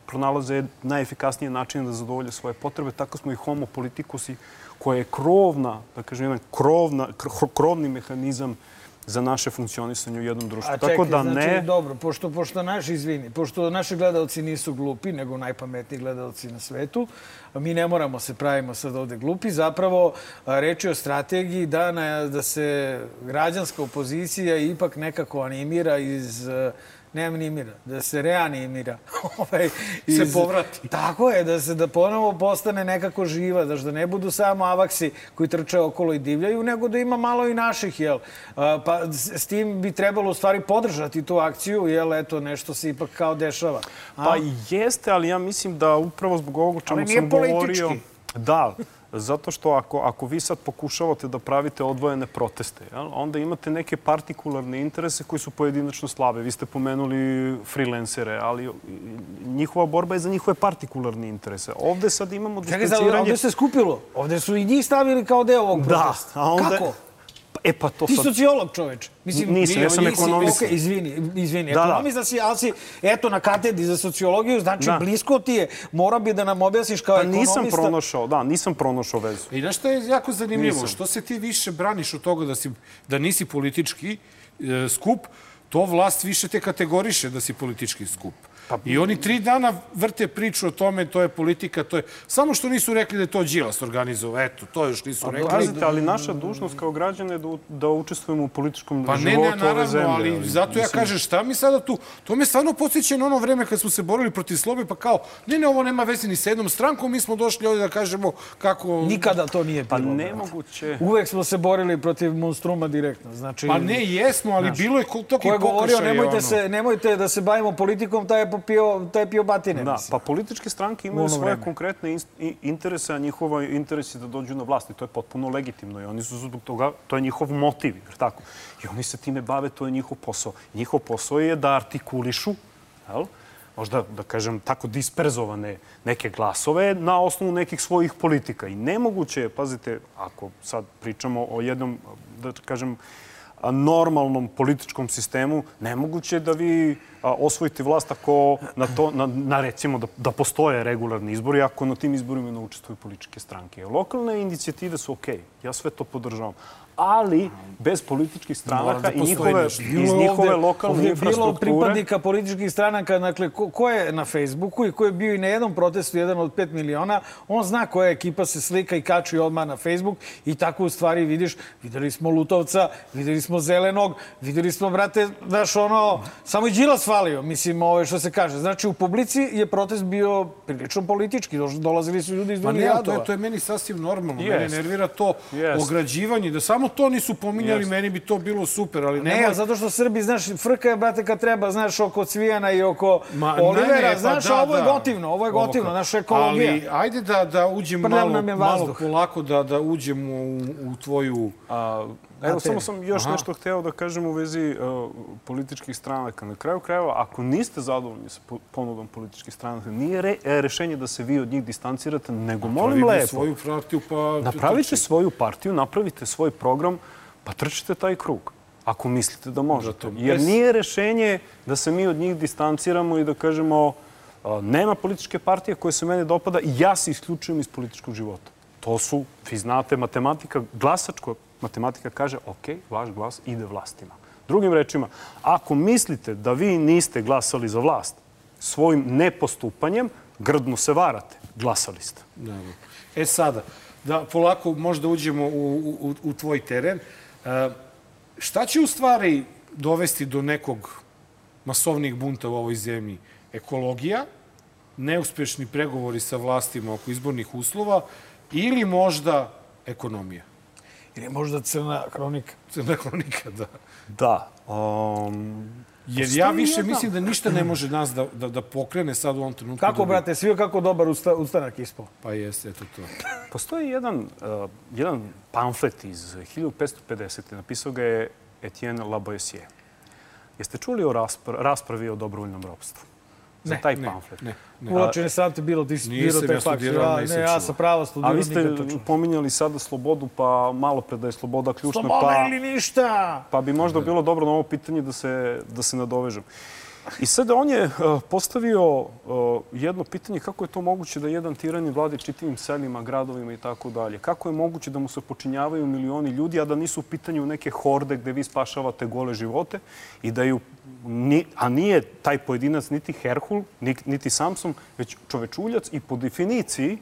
pronalaze najefikasnije načine da zadovolje svoje potrebe, tako smo i homo politicus koja je krovna, da kažem, jedan krovni mehanizam za naše funkcionisanje u jednom društvu. A čekaj, znači, dobro, pošto naši gledalci nisu glupi, nego najpametniji gledalci na svetu, mi ne moramo se pravimo sad ovde glupi, zapravo reč je o strategiji da se građanska opozicija ipak nekako animira da se reanimira. Se povrati. Tako je, da ponovo postane nekako živa, da ne budu samo avaksi koji trče okolo i divljaju, nego da ima malo i naših, jel? Pa s tim bi trebalo u stvari podržati tu akciju, jel, eto, nešto se ipak kao dešava. Pa jeste, ali ja mislim da upravo zbog ovog o čemu sam govorio... Da, zato što ako vi sad pokušavate da pravite odvojene proteste, onda imate neke partikularne interese koji su pojedinačno slabe. Vi ste pomenuli freelancere, ali njihova borba je za njihove partikularne interese. Ovde sad imamo distanciranje... Čekaj, ovde se skupilo. Ovde su i njih stavili kao deo ovog protesta. Kako? Ti sociolog, čoveč. Nisam, ja sam ekonomista. Izvini, ekonomista si, ali si, eto, na katedri za sociologiju, znači blisko ti je, mora bi da nam objasniš kao ekonomista. Nisam pronašao vezu. I znaš što je jako zanimljivo? Što se ti više braniš od toga da nisi politički skup, to vlast više te kategoriše da si politički skup. I oni 3 dana vrte priču o tome, to je politika, to je... Samo što nisu rekli da je to Đilas organizovao, eto, to još nisu rekli. Pazite, ali naša dužnost kao građana je da učestvujemo u političkom životu ove zemlje. Pa ne, ali zato ja kažem, šta mi sada tu... To me stvarno podsjeća na ono vreme kad smo se borili protiv slobe, pa kao, ne, ovo nema veze ni sa jednom strankom, mi smo došli ovdje da kažemo kako... Nikada to nije bilo. Pa nemoguće. Uvek smo se borili protiv monstruma direktno, znači... Pa ne, jesmo, ali bilo je toki pokušaj. Nemojte da se bavimo politikom, taj je pio batine. Da, pa političke stranke imaju svoje konkretne interese, a njihova interes je da dođu na vlast. I to je potpuno legitimno. I oni su zbog toga, to je njihov motiv, jer tako. I oni se time bave, to je njihov posao. Njihov posao je da artikulišu, možda, da kažem, tako disperzovane neke glasove na osnovu nekih svojih politika. I nemoguće je, pazite, ako sad pričamo o jednom, da kažem, normalnom političkom sistemu, nemoguće je da vi osvojite vlast ako recimo da postoje regularni izbori, ako na tim izborima ne učestvuju političke stranke. Lokalne inicijative su okej, ja sve to podržavam. Ali bez političkih stranaka i njihove lokalne infrastrukture... Bilo pripadnika političkih stranaka, dakle, ko je na Facebooku i ko je bio i na jednom protestu, jedan od 5 miliona, on zna koja ekipa se slika i kači odmah na Facebook i tako u stvari vidiš, videli smo Lutovca, videli smo Zelenog, videli smo, brate, znaš, samo i Đilas falio, mislim, što se kaže. Znači, u publici je protest bio prilično politički, dolazili su ljudi iz drugih gradova. To je meni sasvim normalno, mene nervira to ograđivanje, da samo to nisu pominjali, meni bi to bilo super, ali ne, zato što Srbi, znaš, frka je, brate, kad treba, znaš, oko Cvijana i oko Olivera, znaš, ovo je gotivno, naša ekologija. Ali, ajde da uđemo malo polako, da uđemo u tvoju... Evo, samo sam još nešto hteo da kažem u vezi političkih stranaka. Na kraju krajeva, ako niste zadovoljni sa ponudom političkih stranaka, nije rešenje da se vi od njih distancirate, nego molim lepo. Napravite svoju partiju, napravite svoj program, pa trčite taj krug, ako mislite da možete. Jer nije rešenje da se mi od njih distanciramo i da kažemo Nema političke partije koje se mene dopada i ja se isključujem iz političkog života. To su, vi znate, matematika, glasačka matematika kaže, ok, vaš glas ide vlastima. Drugim rečima, ako mislite da vi niste glasali za vlast svojim nepostupanjem, grdno se varate. Glasali ste. Sada, da polako možda uđemo u tvoj teren. Šta će u stvari dovesti do nekog masovnih bunta u ovoj zemlji? Ekologija, neuspešni pregovori sa vlastima oko izbornih uslova ili možda ekonomija? Ili možda crna hronika? Crna hronika, da. Da. Jer ja više mislim da ništa ne može nas da pokrene sad u ovom trenutku. Kako, brate, svi kako dobar ustanak ispao? Pa jeste, eto to. Postoji jedan pamflet iz 1550. Napisao ga je Etienne Laboisière. Jeste čuli o raspravi o dobrovoljnom ropstvu? Za taj pamflet. Ne. Ulačene sam te bilo, ti si birao taj fakt. Ne, ja sam pravo studirao. A vi ste pominjali sada slobodu, pa malo pre da je sloboda ključna. Sloboda ili ništa? Pa bi možda bilo dobro na ovo pitanje da se nadovežem. I sada on je postavio jedno pitanje kako je to moguće da jedan tiranin vladi čitavim selima, gradovima i tako dalje. Kako je moguće da mu se počinjavaju milioni ljudi, a da nisu u pitanju neke horde gde vi spašavate gole živote i da a nije taj pojedinac niti Herkul, niti Samson, već čovečuljac i po definiciji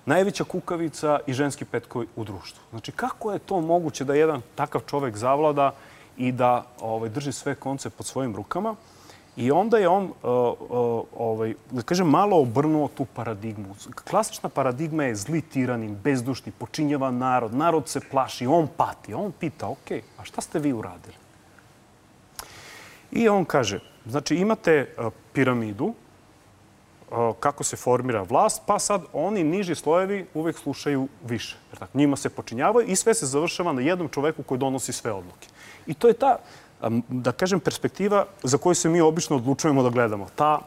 najveća kukavica i ženski petkovi u društvu. Znači, kako je to moguće da jedan takav čovek zavlada i da drži sve konce pod svojim rukama? I onda je on, da kažem, malo obrnuo tu paradigmu. Klasična paradigma je zli tiranin, bezdušni, počinjava narod, narod se plaši, on pati. On pita, ok, a šta ste vi uradili? I on kaže, znači imate piramidu, kako se formira vlast, pa sad oni niži slojevi uvek slušaju više. Njima se počinjavaju i sve se završava na jednom čoveku koji donosi sve odluke. I to je ta, da kažem, perspektiva za koju se mi obično odlučujemo da gledamo. Ta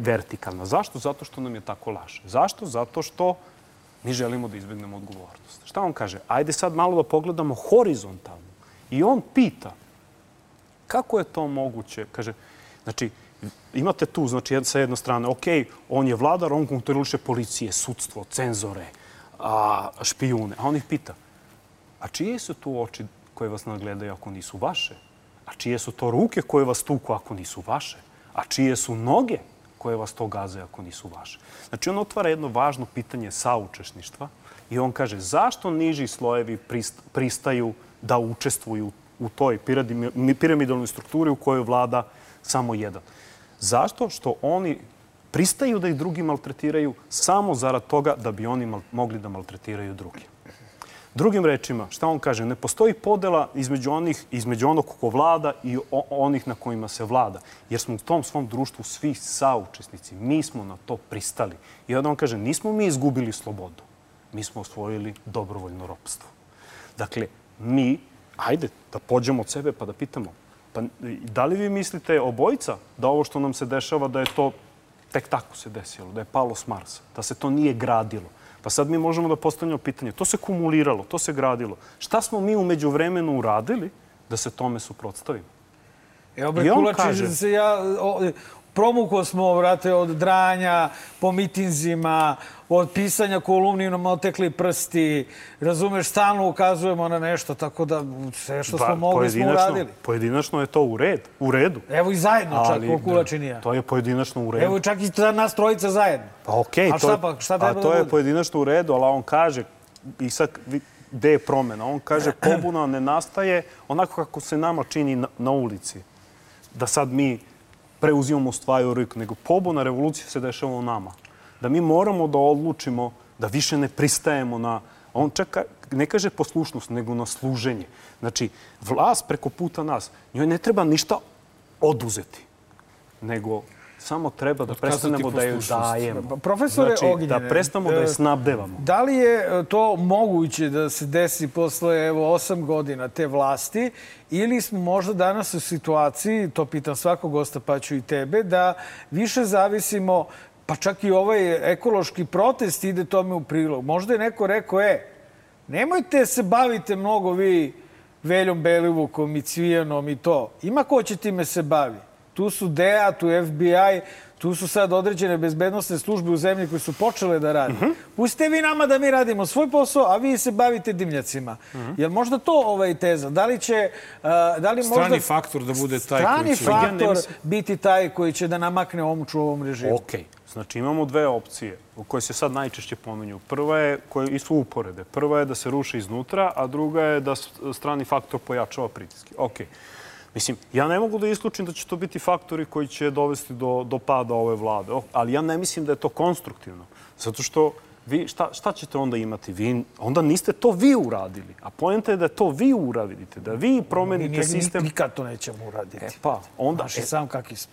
vertikalna. Zašto? Zato što nam je tako laže. Zašto? Zato što mi želimo da izbegnemo odgovornost. Šta on kaže? Ajde sad malo da pogledamo horizontalno. I on pita kako je to moguće? Kaže, znači, imate tu, znači, sa jedne strane, ok, on je vladar, on kontroliše policije, sudstvo, cenzore, špijune. A on ih pita, a čije su tu oči koje vas nadgledaju ako nisu vaše? A čije su to ruke koje vas tuku ako nisu vaše? A čije su noge koje vas to gaze ako nisu vaše? Znači, on otvara jedno važno pitanje saučesništva i on kaže, zašto niži slojevi pristaju da učestvuju u toj piramidalnoj strukturi u kojoj vlada samo jedan? Zašto? Što oni pristaju da ih drugi maltretiraju samo zarad toga da bi oni mogli da maltretiraju drugi. Drugim rečima, šta on kaže? Ne postoji podela između onog ko vlada i onih na kojima se vlada. Jer smo u tom svom društvu svi saučesnici. Mi smo na to pristali. I onda on kaže, nismo mi izgubili slobodu. Mi smo osvojili dobrovoljno ropstvo. Dakle, mi, ajde da pođemo od sebe pa da pitamo, pa da li vi mislite obojica da ovo što nam se dešava da je to tek tako se desilo, da je palo s Marsa, da se to nije gradilo? Pa sad mi možemo da postavljamo pitanje. To se kumuliralo, to se gradilo. Šta smo mi umeđu vremenu uradili da se tome suprotstavimo? Evo, bre, Kulači, promukao smo, vrate, od dranja, po mitinzima, od pisanja kolumni nam otekli prsti. Razumeš, stalno ukazujemo na nešto, tako da sve što smo mogli smo uradili. Pojedinačno je to u redu. Evo i zajedno čak, ko Kulačin i ja. To je pojedinačno u redu. Evo čak i nas trojica zajedno. Pa okej, to je pojedinačno u redu, ali on kaže, i sad gde je promena? On kaže, pobuna ne nastaje onako kako se nama čini na ulici. Da sad mi preuzimamo stvari u ruku, nego pobuna revolucija se dešava u nama. Da mi moramo da odlučimo da više ne pristajemo na... On čak ne kaže poslušnost, nego na služenje. Znači, vlast preko puta nas, njoj ne treba ništa oduzeti, nego samo treba da prestanemo da je dajemo. Profesore Ognjene, da prestanemo da je snabdevamo. Da li je to moguće da se desi posle 8 godina te vlasti ili smo možda danas u situaciji, to pitam svakog gosta pa ću i tebe, da više zavisimo, pa čak i ovaj ekološki protest ide tome u prilog. Možda je neko rekao, nemojte se bavite mnogo vi Veljom Belivukom i Cvijanom i to. Ima ko će time se bavi. tu su DEA, tu FBI, tu su sad određene bezbednostne službe u zemlji koje su počele da rade. Pustite vi nama da mi radimo svoj posao, a vi se bavite dimljacima. Jel možda to teza? Da li će... Strani faktor da bude taj koji će... Strani faktor biti taj koji će da namakne omču u ovom režimu. Okej. Znači, imamo dve opcije koje se sad najčešće pominju. Prva je, koje su uporede. Prva je da se ruše iznutra, a druga je da strani faktor pojačava pritiske. Okej. Mislim, ja ne mogu da isključim da će to biti faktori koji će dovesti do pada ove vlade. Ali ja ne mislim da je to konstruktivno. Zato što vi, šta ćete onda imati? Vi, onda niste to vi uradili. A poenta je da to vi uradite, da vi promenite sistem. Nikad to nećemo uraditi. Onda... sam kakvi smo.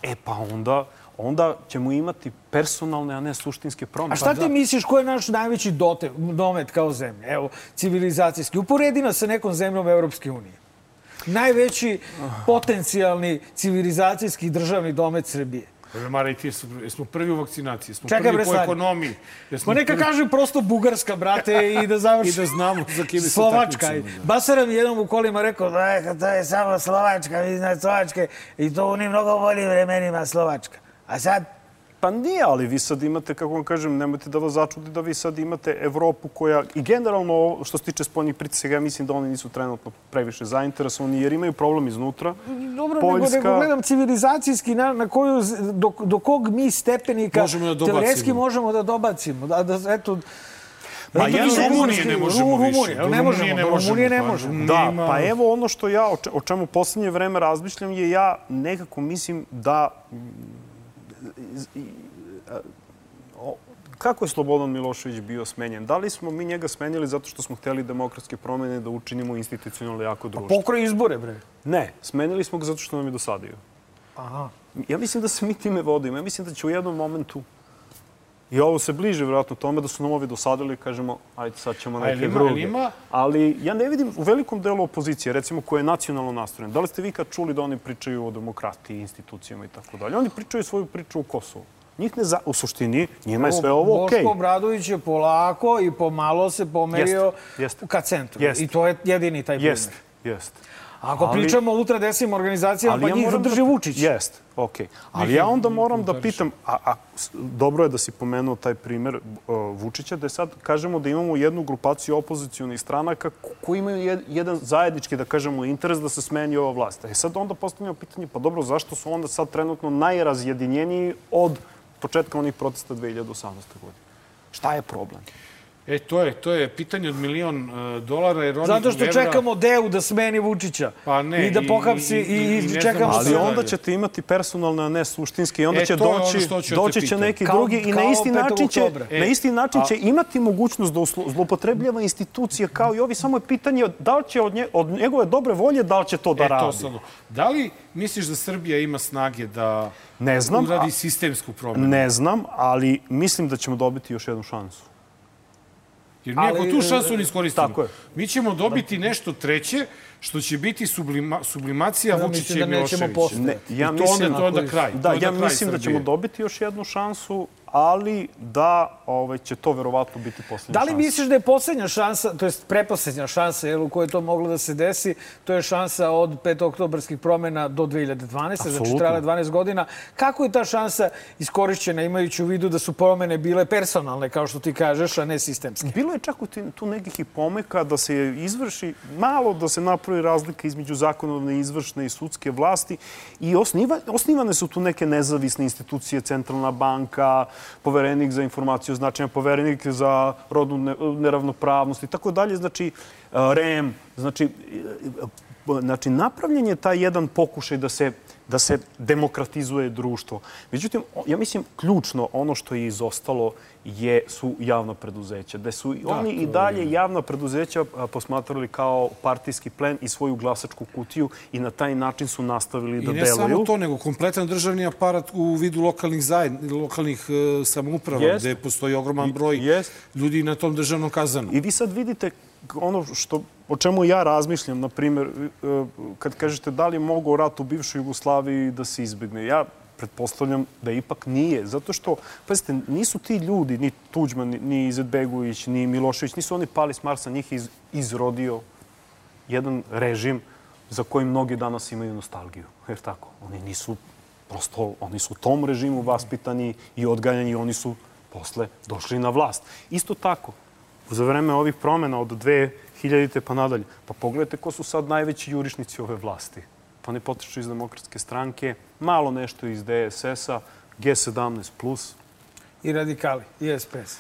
Onda ćemo imati personalne, a ne suštinske promene. A šta ti misliš ko je naš najveći domet kao zemlja? Evo, civilizacijski. Uporedi nas sa nekom zemljom Evropske unije. Najveći potencijalni civilizacijski državni domet Srbije. Mara, i ti smo prvi u vakcinaciji, smo prvi po ekonomiji. Ma neka kažem prosto Bugarska, brate, i da završi. I da znamo za kime se Slovačka. takmičimo. Basara mi jednom u kolima rekao da to je samo Slovačka, vi znate Slovačke, i to u njim mnogo boljim vremenima Slovačka. A sad... Pa nije, ali vi sad imate, kako vam kažem, nemojte da vas začudi da vi sad imate Evropu koja, i generalno što se tiče spoljnih pritisaka, ja mislim da oni nisu trenutno previše zainteresovani jer imaju problem iznutra. Dobro, nego gledam civilizacijski na koju, do kog mi stepenika teoretski možemo da dobacimo. Pa Rumunije ne možemo više. Rumunije ne možemo. Da, pa evo ono što ja, o čemu poslednje vreme razmišljam je ja nekako mislim da kako je Slobodan Milošević bio smenjen? Da li smo mi njega smenjili zato što smo hteli demokratske promene da učinimo institucionalno jako društvo? Pokroj izbore, bre. Ne, smenjili smo ga zato što nam je dosadio. Aha. Ja mislim da se mi time vodimo. Ja mislim da će u jednom momentu, i ovo se bliže vjerojatno tome, da su nam ovi dosadili i kažemo, ajde sad ćemo neke druge. Ali ja ne vidim u velikom delu opozicije, recimo koja je nacionalno nastrojen. Da li ste vi kad čuli da oni pričaju o demokratiji, institucijama i tako dalje? Oni pričaju svoju priču o Kosovu. Njih ne u suštini, njima je sve ovo okej. Boško Obradović je polako i pomalo se pomerio ka centru. I to je jedini taj primjer. Jeste. Ako pričamo o ultradesnim organizacijama, pa njih zadrži Vučić. Jeste, okej. Ali ja onda moram da pitam, a dobro je da si pomenuo taj primer Vučića, da sad kažemo da imamo jednu grupaciju opozicionih stranaka koji imaju jedan zajednički, da kažemo, interes da se smeni ova vlast. Sad onda postavljamo pitanje, pa dobro, zašto su onda sad trenutno najrazjedinjeniji od početka onih protesta 2018. godine? Šta je problem? To je pitanje od $1.000.000. Zato što čekamo DEU da smeni Vučića i da pohapsi i čekamo sve. Ali onda ćete imati personalne, a ne suštinske i onda će doći će neki drugi i na isti način će imati mogućnost da zloupotrebljava institucije kao i ovi. Samo je pitanje da li će od njegove dobre volje, da li će to da radi. Da li misliš da Srbija ima snage da uradi sistemsku promenu? Ne znam, ali mislim da ćemo dobiti još jednu šansu. Jer mi ako tu šansu ne iskoristimo, mi ćemo dobiti nešto treće što će biti sublimacija Vučića i Miloševića. I to onda kraj. Ja mislim da ćemo dobiti još jednu šansu, ali da će to verovatno biti poslednja šansa. Da li misliš da je poslednja šansa, to je preposlednja šansa u kojoj to moglo da se desi, to je šansa od 5. oktobarskih promjena do 2012. Znači trajala 12 godina. Kako je ta šansa iskorišćena imajući u vidu da su promjene bile personalne, kao što ti kažeš, a ne sistemske? Bilo je čak tu nekih i pomeka da se izvrši, malo da se napravi razlika između zakonodavne, izvršne i sudske vlasti i osnivane su tu neke nezavisne institucije, Centralna banka, Poverenik za informaciju značaja, Poverenik za rodnu neravnopravnost i tako dalje, znači REM, znači napravljen je taj jedan pokušaj da se demokratizuje društvo. Međutim, ja mislim, ključno ono što je izostalo su javna preduzeća. Da su oni i dalje javna preduzeća posmatrali kao partijski plen i svoju glasačku kutiju i na taj način su nastavili da deluju. I ne samo to, nego kompletan državni aparat u vidu lokalnih samouprava, gde postoji ogroman broj ljudi na tom državnom kazanu. I vi sad vidite ono o čemu ja razmišljam, na primjer, kad kažete da li je mogao rat u bivšoj Jugoslaviji da se izbegne. Ja pretpostavljam da ipak nije. Zato što, pazite, nisu ti ljudi, ni Tuđman, ni Izetbegović, ni Milošević, nisu oni pali s Marsa, njih je izrodio jedan režim za koji mnogi danas imaju nostalgiju. Jer tako, oni nisu Prosto, oni su u tom režimu vaspitani i odgajani i oni su posle došli na vlast. Isto tako, za vreme ovih promjena od 2000. pa nadalje, pa pogledajte ko su sad najveći jurišnici ove vlasti. Pa ne potiču iz Demokratske stranke, malo nešto iz DSS-a, G17+. I radikali, i SPS.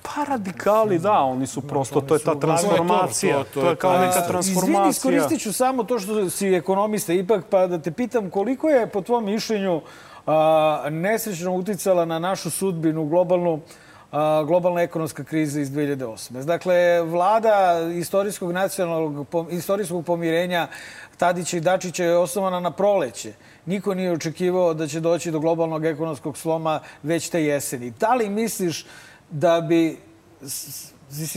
Pa radikali, da, oni su prosto, to je ta transformacija. To je kao neka transformacija. Izvini, iskoristit ću samo to što si ekonomista ipak, pa da te pitam koliko je, po tvom mišljenju, nesrećno uticala na našu sudbinu globalna ekonomska kriza iz 2008. Dakle, vlada istorijskog pomirenja Tadića i Dačića je osnovana na proleće. Niko nije očekivao da će doći do globalnog ekonomskog sloma već te jeseni. Da li misliš da bi,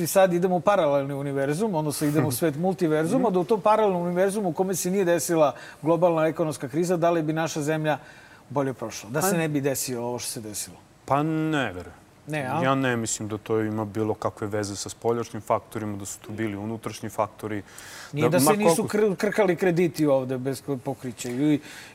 sad idemo u paralelni univerzum, odnosno idemo u svet multiverzuma, da u tom paralelnom univerzumu u kome se nije desila globalna ekonomska kriza, da li bi naša zemlja bolje prošla? Da se ne bi desilo ovo što se desilo? Pa ne verujem. Ja ne mislim da to ima bilo kakve veze sa spoljašnjim faktorima, da su to bili unutrašnji faktori. Nije da se nisu krkali krediti ovde bez pokrića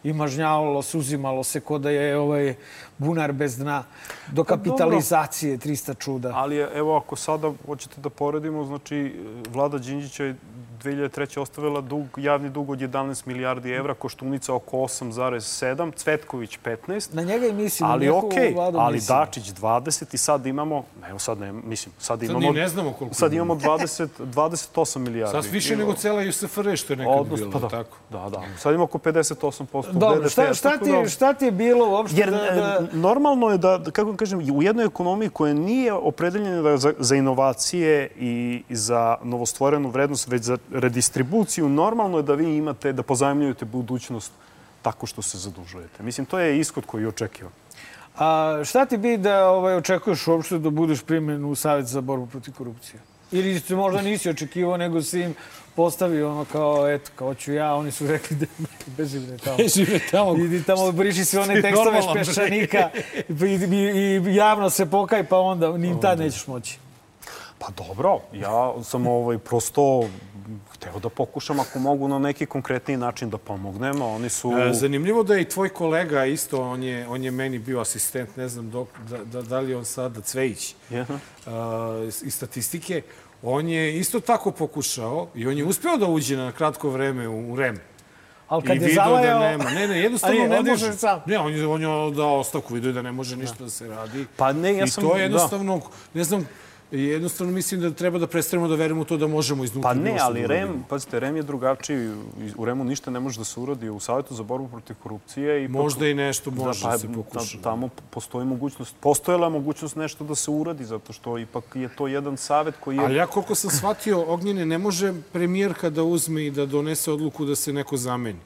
i mažnjavalo se, uzimalo se ko da je bunar bez dna, do kapitalizacije 300 čuda. Ali evo, ako sada hoćete da poredimo, znači vlada Đinđića je 2003. ostavila javni dug od 11 milijardi evra, Koštunica oko 8,7, Cvetković 15. Na njega i mislim. Ali okej, ali Dačić 20 i sad imamo, evo sad ne, mislim, sad imamo 28 milijardi. Sad više nego cela USFR što je nekad bilo, tako? Da. Sad imamo oko 58% BDP. Dobro, šta ti je bilo uopšte? Jer normalno je da, kako vam kažem, u jednoj ekonomiji koja nije opredeljena za inovacije i za novostvorenu vrednost, već za redistribuciju, normalno je da vi imate, da pozajmljujete budućnost tako što se zadužujete. Mislim, to je ishod koji je očekivan. A šta ti bi da očekuješ uopšte da budeš primljen u Savjet za borbu protiv korupcije? Ili možda nisi očekivao, nego si im postavio ono kao, eto, kao ću ja, oni su rekli da beži me tamo. Idi tamo, briši se one tekstove Špeščanika i javno se pokaj, pa onda ni tad nećeš moći. Pa dobro, ja sam prosto hteo da pokušam, ako mogu, na neki konkretniji način da pomognem. Oni su... Zanimljivo da je i tvoj kolega isto, on je meni bio asistent, ne znam da li on sada, Cvejić, iz statistike. On je isto tako pokušao i on je uspeo da uđe na kratko vreme u REM. Ali kad je zavajao... Ne, jednostavno ne može. Ne, on je dao ostavku, vidio da ne može ništa da se radi. Pa ne, ja sam... I to je jednostavno, ne znam, jednostavno mislim da treba da prestanemo da verujemo u to da možemo iznutra. Pa ne, ali REM, pazite, REM je drugačiji. U REM-u ništa ne može da se uradi. U Savjetu za borbu protiv korupcije... Možda i nešto može da se pokuša. Tamo postoji mogućnost, postojala mogućnost nešto da se uradi, zato što ipak je to jedan savjet koji je... Ali ja koliko sam shvatio, Ognjene, ne može premijerka da uzme i da donese odluku da se neko zameni.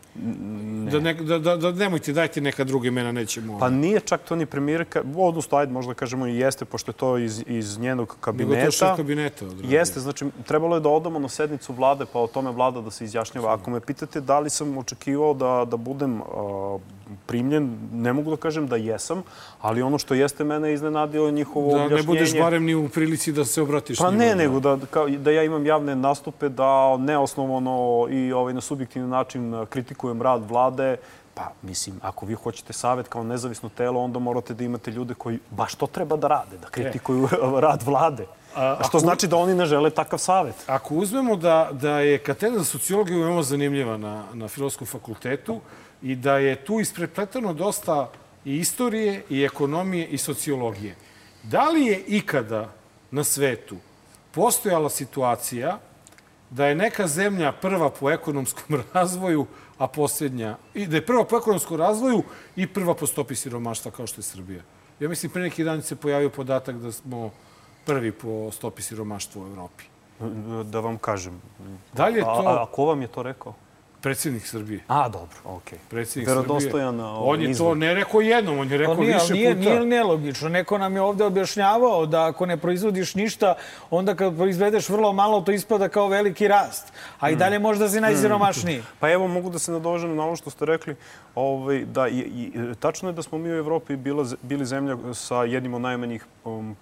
Da nemojte, dajte neka druga imena, nećemo... Pa nije čak to ni premijerka, odnosno, ajde, možda kažemo i jeste, pošto je to iz njenog kabineta. Jeste, znači, trebalo je da odamo na sednicu vlade, pa o tome vlada da se izjašnjava. Ako me pitate da li sam očekivao da budem primljen, ne mogu da kažem da jesam, ali ono što jeste mene iznenadio njihovo objašnjenje... Da ne budeš barem ni u prilici da se obratiš njima. Pa ne, nego da ja imam javne nastupe, da neosnovano i na subjektivni način kritikujem rad vlade. Pa, mislim, ako vi hoćete savjet kao nezavisno telo, onda morate da imate ljude koji baš to treba da rade, da kritikuju rad vlade. Što znači da oni ne žele takav savjet. Ako uzmemo da je katedra za sociologiju veoma zanimljiva na Filozofskom fakultetu i da je tu isprepletano dosta i istorije, i ekonomije, i sociologije. Da li je ikada na svetu postojala situacija da je neka zemlja prva po ekonomskom razvoju, a posljednja, da je prva po ekonomskom razvoju i prva po stopi siromaštva kao što je Srbija? Ja mislim, pre neki dan se pojavio podatak da smo prvi po stopi siromaštva u Evropi. Da vam kažem. Da li je to... A ko vam je to rekao? Predsjednik Srbije. A, dobro, okej. Predsjednik Srbije. Verodostojan On je to ne rekao jednom, on je rekao više puta. Nije nelogično. Neko nam je ovde objašnjavao da ako ne proizvodiš ništa, onda kad proizvedeš vrlo malo, to ispada kao veliki rast. A i dalje možda si najsiromašniji. Pa evo, mogu da se nadožem na ovo što ste rekli. Tačno je da smo mi u Evropi bili zemlja sa jednim od najmanjih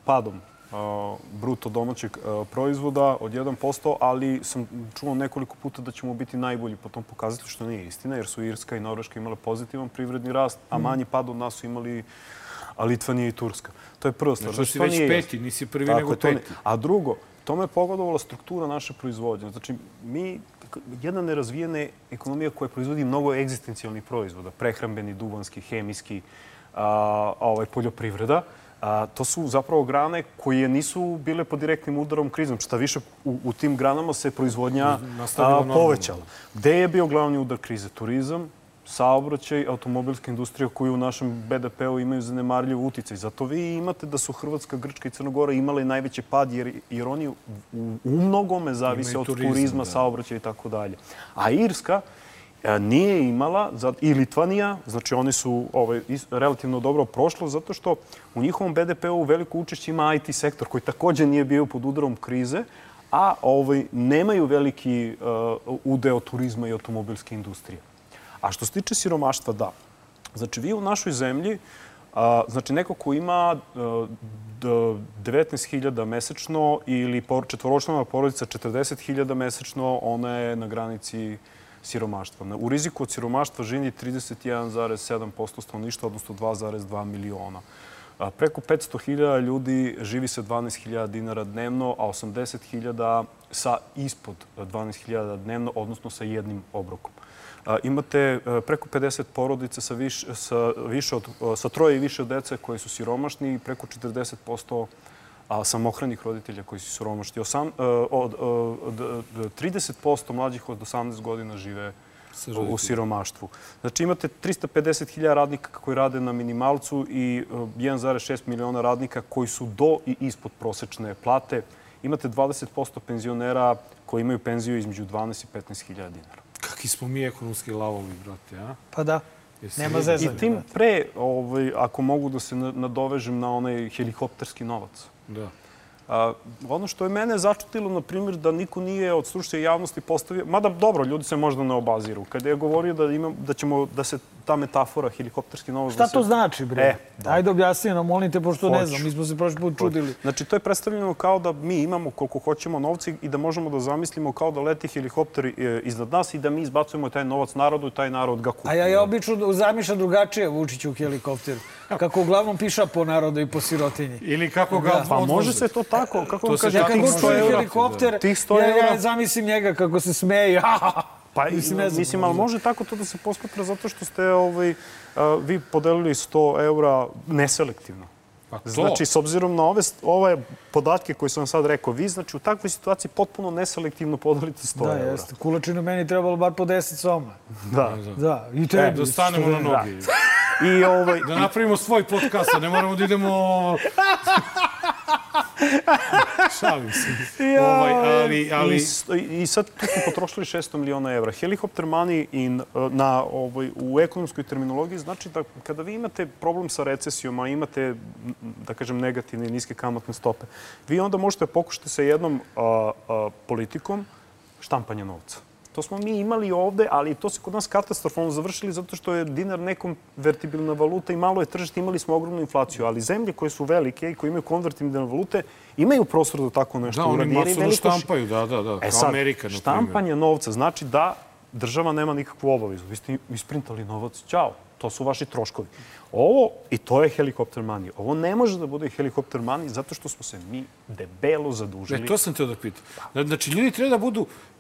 padom bruto domaćeg proizvoda od 1%, ali sam čuo nekoliko puta da ćemo biti najbolji po tom pokazatelju, što nije istina, jer su Irska i Norveška imale pozitivan privredni rast, a manji pad od nas su imali Litvanija i Turska. To je prva stvar. Znači, si već peti, nisi prvi nego peti. A drugo, tome je pogodovala struktura naše proizvodnje. Znači, jedna nerazvijena ekonomija koja proizvodi mnogo egzistencijalnih proizvoda, prehrambeni, duvanski, hemijski, poljoprivreda, to su zapravo grane koje nisu bile pod direktnim udarom krizom. Šta više, u tim granama se proizvodnja povećala. Gde je bio glavni udar krize? Turizam, saobraćaj, automobilska industrija koju u našem BDP-u imaju zanemarljiv uticaj. Zato vi imate da su Hrvatska, Grčka i Crna Gora imale najveći pad jer oni u mnogome zavise od turizma, saobraćaja i tako dalje. A Irska nije imala, i Litvanija, znači oni su relativno dobro prošlo, zato što u njihovom BDP-u veliko učešće ima IT sektor koji također nije bio pod udarom krize, a nemaju veliki udeo turizma i automobilske industrije. A što se tiče siromaštva, da. Znači, vi u našoj zemlji, znači neko ko ima 19.000 mesečno ili četvoročlana porodica 40.000 mesečno, ona je na granici siromaštva. U riziku od siromaštva živi 31,7% stanovništva, odnosno 2,2 miliona. Preko 500.000 ljudi živi sa 12.000 dinara dnevno, a 80.000 sa ispod 12.000 dnevno, odnosno sa jednim obrokom. Imate preko 50 porodica sa troje i više dece koji su siromašni i preko 40% samohranih roditelja koji su siromašni. 30% mlađih od 18 godina žive u siromaštvu. Znači imate 350.000 radnika koji rade na minimalcu i 1,6 miliona radnika koji su do i ispod prosečne plate. Imate 20% penzionera koji imaju penziju između 12 i 15.000 dinara. Kakvi smo mi ekonomski lavovi, brate, a? Pa da, nema zezanja. I tim pre, ako mogu da se nadovežem na onaj helikopterski novac. Da. Ono što je mene začutilo, na primjer, da niko nije od stručne javnosti postavio, mada dobro, ljudi se možda ne obaziru, kada je govorio da se ta metafora helikopterski novac... Šta to znači, bre? Ajde objasni nam, molim te, pošto ne znam, mi smo se prošli put čudili. Znači, to je predstavljeno kao da mi imamo koliko hoćemo novca i da možemo da zamislimo kao da leti helikopter iznad nas i da mi izbacujemo taj novac narodu i taj narod ga kupi. A ja obično zamišljam drugačije Vučiću u helikopteru. Kako uglavnom piša po narodu i po sirotinji. Ili kako ga odvoze. Pa može se to tako. Kako kad čuje helikopter, ja zamislim njega kako se smeje. Pa mislim, ali može tako to da se posmatra zato što ste vi podelili 100 eura neselektivno. Znači, s obzirom na ove podatke koje sam vam sad rekao, vi, znači, u takvoj situaciji potpuno neselektivno podelite 100 eura. Da, jeste. Kulačinu meni trebalo bar po 10 soma. Da. I tebi. Da stanemo na nogi. Da napravimo svoj podcast, a ne moramo da idemo... Šalim se. I sad tu smo potrošili 600 miliona evra. Helikopter money u ekonomskoj terminologiji znači da kada vi imate problem sa recesijom, a imate, da kažem, negativne i niske kamatne stope, vi onda možete pokušati sa jednom politikom štampanja novca. To smo mi imali ovde, ali to se kod nas katastrofalno završili zato što je dinar nekonvertibilna valuta i malo je tržište, imali smo ogromnu inflaciju. Ali zemlje koje su velike i koje imaju konvertibilne valute imaju prostor da tako nešto uradi. Da, oni masovno štampaju, da, kao Amerika, na primjer. Štampanje novca znači da država nema nikakvu obavezu. Vi ste isprintali novac, ćao, to su vaši troškovi. I to je helikopter money. Ovo ne može da bude helikopter money zato što smo se mi debelo zadužili. To sam teo da pitam. Znači, ljudi treba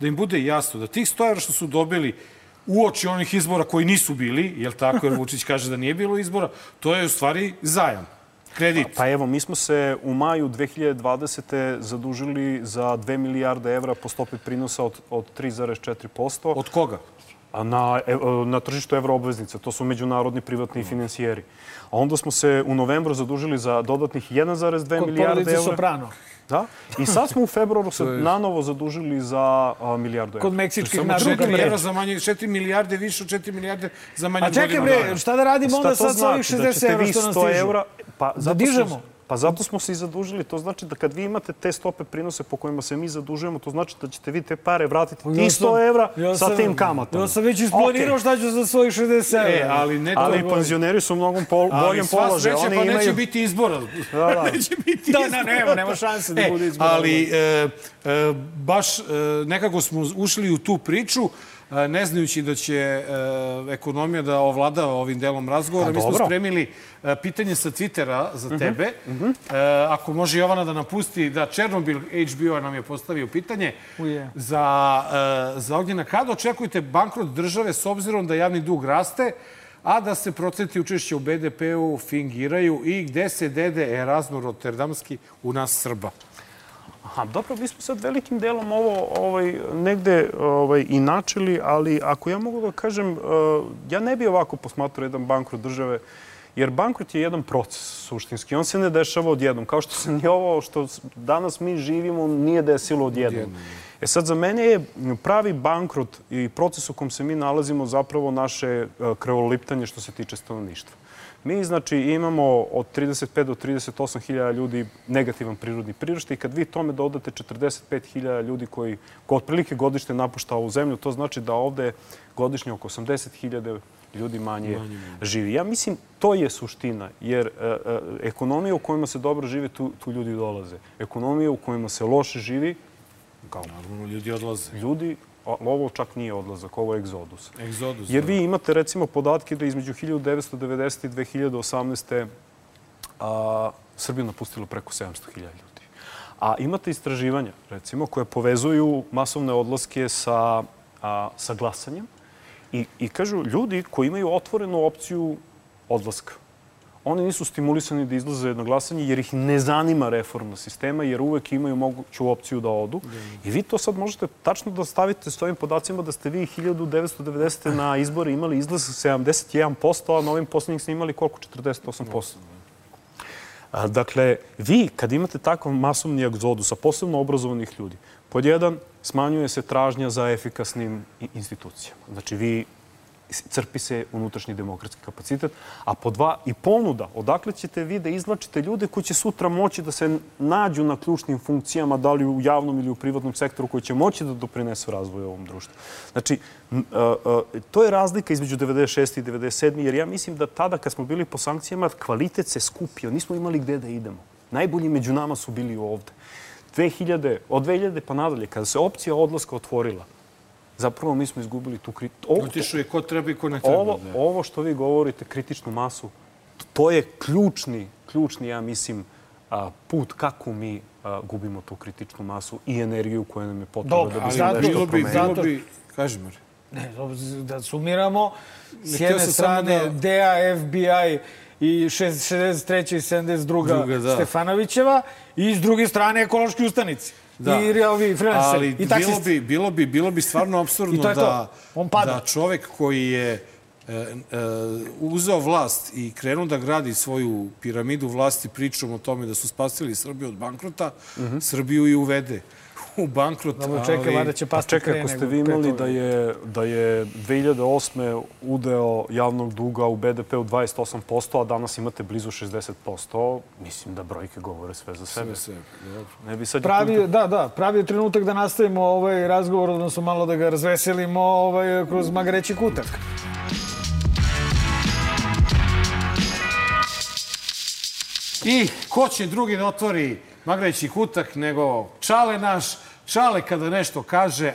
da im bude jasno da tih 100 evra što su dobili uoči onih izbora koji nisu bili, jel tako, jer Vučić kaže da nije bilo izbora, to je u stvari zajam, kredit. Pa evo, mi smo se u maju 2020. zadužili za 2 milijarde evra po stopi prinosa od 3,4%. Od koga? Na tržištu evroobveznica. To su međunarodni privatni finansijeri. A onda smo se u novembru zadužili za dodatnih 1,2 milijarde evra. Kod porodice Soprano. Da. I sad smo u februaru se nanovo zadužili za milijardu evra. Kod meksičkih naroda. 4 milijarde više od 4 milijarde za manje od godinu dana. A čekaj bre, šta da radimo onda sad sa ovih 60 evra što nam stižu? Pa, da dižemo? Pa zato smo se i zadužili. To znači da kad vi imate te stope prinose po kojima se mi zadužujemo, to znači da ćete vi te pare vratiti ti 100 evra sa tim kamatama. Ja sam već isplanirao šta ću za svojih 60 evra. Ali penzioneri su u mnogo boljem položaju. Ali sva sreća, pa neće biti izbora. Neće biti izbora. Nema šanse da bude izbora. Ali baš nekako smo ušli u tu priču, ne znajući da će ekonomija da ovlada ovim delom razgovora. Mi smo spremili pitanje sa Twittera za tebe. Ako može Jovana da napusti, da Černobil HBO nam je postavio pitanje za Ognjena. Kada očekujete bankrot države s obzirom da javni dug raste, a da se procenti učešća u BDP-u fingiraju i gde se dede Erazmo Rotterdamski u nas Srba? Dobro, mi smo sad velikim delom ovo negde i načeli, ali ako ja mogu da kažem, ja ne bi ovako posmatrao jedan bankrot države, jer bankrot je jedan proces suštinski. On se ne dešava odjednom. Kao što se ni ovo što danas mi živimo nije desilo odjednom. Sad, za mene je pravi bankrot i proces u kom se mi nalazimo zapravo naše krvoliptanje što se tiče stanovništva. Mi, znači, imamo od 35 do 38 hiljada ljudi negativan prirodni priraštaj i kad vi tome dodate 45 hiljada ljudi koji otprilike godišnje napušta ovu zemlju, to znači da ovde godišnje oko 80 hiljada ljudi manje živi. Ja mislim, to je suština, jer ekonomija u kojima se dobro živi, tu ljudi dolaze. Ekonomija u kojima se loše živi, kao ljudi odlaze. Ovo čak nije odlazak, ovo je egzodus. Jer vi imate, recimo, podatke da između 1990. i 2018. Srbiju napustilo preko 700.000 ljudi. A imate istraživanja, recimo, koje povezuju masovne odlaske sa glasanjem i kažu ljudi koji imaju otvorenu opciju odlaska. Oni nisu stimulisani da izlaze na glasanje jer ih ne zanima reforma sistema, jer uvek imaju moguću opciju da odu. I vi to sad možete tačno da stavite s ovim podacima da ste vi 1990. na izbore imali izlaz 71%, a na ovim poslednjih ste imali koliko? 48%. Dakle, vi kad imate takav masovni egzodus, a posebno obrazovanih ljudi, pod jedan, smanjuje se tražnja za efikasnim institucijama. Znači, crpi se unutrašnji demokratski kapacitet, a po dva i ponuda. Odakle ćete vi da izvlačite ljude koji će sutra moći da se nađu na ključnim funkcijama, da li u javnom ili u privatnom sektoru, koji će moći da doprinesu razvoju ovom društvu. Znači, to je razlika između 96. i 97. jer ja mislim da tada kad smo bili po sankcijama, kvalitet se skupio. Nismo imali gde da idemo. Najbolji među nama su bili ovde. Od 2000 pa nadalje, kada se opcija odlaska otvorila, zapravo mi smo izgubili tu kritičnu... Otišao je ko treba i ko ne treba. Ovo što vi govorite, kritičnu masu, to je ključni, ja mislim, put kako mi gubimo tu kritičnu masu i energiju koja nam je potrebna da bi se nešto promenilo. Kaži, Mari. Ne, da sumiramo, s jedne strane DEA, FBI i 63. i 72. Stefanovićeva i s druge strane ekološki ustanici. I ovi freelanceri i taksisti. Bilo bi stvarno apsurdno da čovek koji je uzeo vlast i krenuo da gradi svoju piramidu vlasti pričom o tome da su spasili Srbiju od bankrota, Srbiju i uvede u bankrot. Čekaj, ako ste vi imali da je 2008. udeo javnog duga u BDP-u 28%, a danas imate blizu 60%, mislim da brojke govore sve za sebe. Pravi je trenutak da nastavimo ovaj razgovor, odnosno malo da ga razveselimo kroz Magreći kutak. I ko će drugi da otvori Magreći kutak nego Čale naš. Čale kada nešto kaže,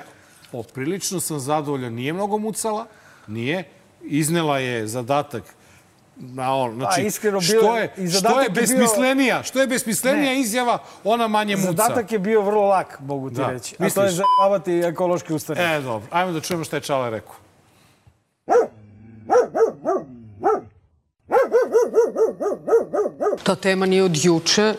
poprilično sam zadovoljan, nije mnogo mucala, nije. Iznela je zadatak. Znači, što je besmislenija izjava, ona manje muca. Zadatak je bio vrlo lak, mogu ti reći. A to je zajebavati ekološki ustanak. Dobro. Ajmo da čujemo šta je Čale rekao. Ta tema nije od juče,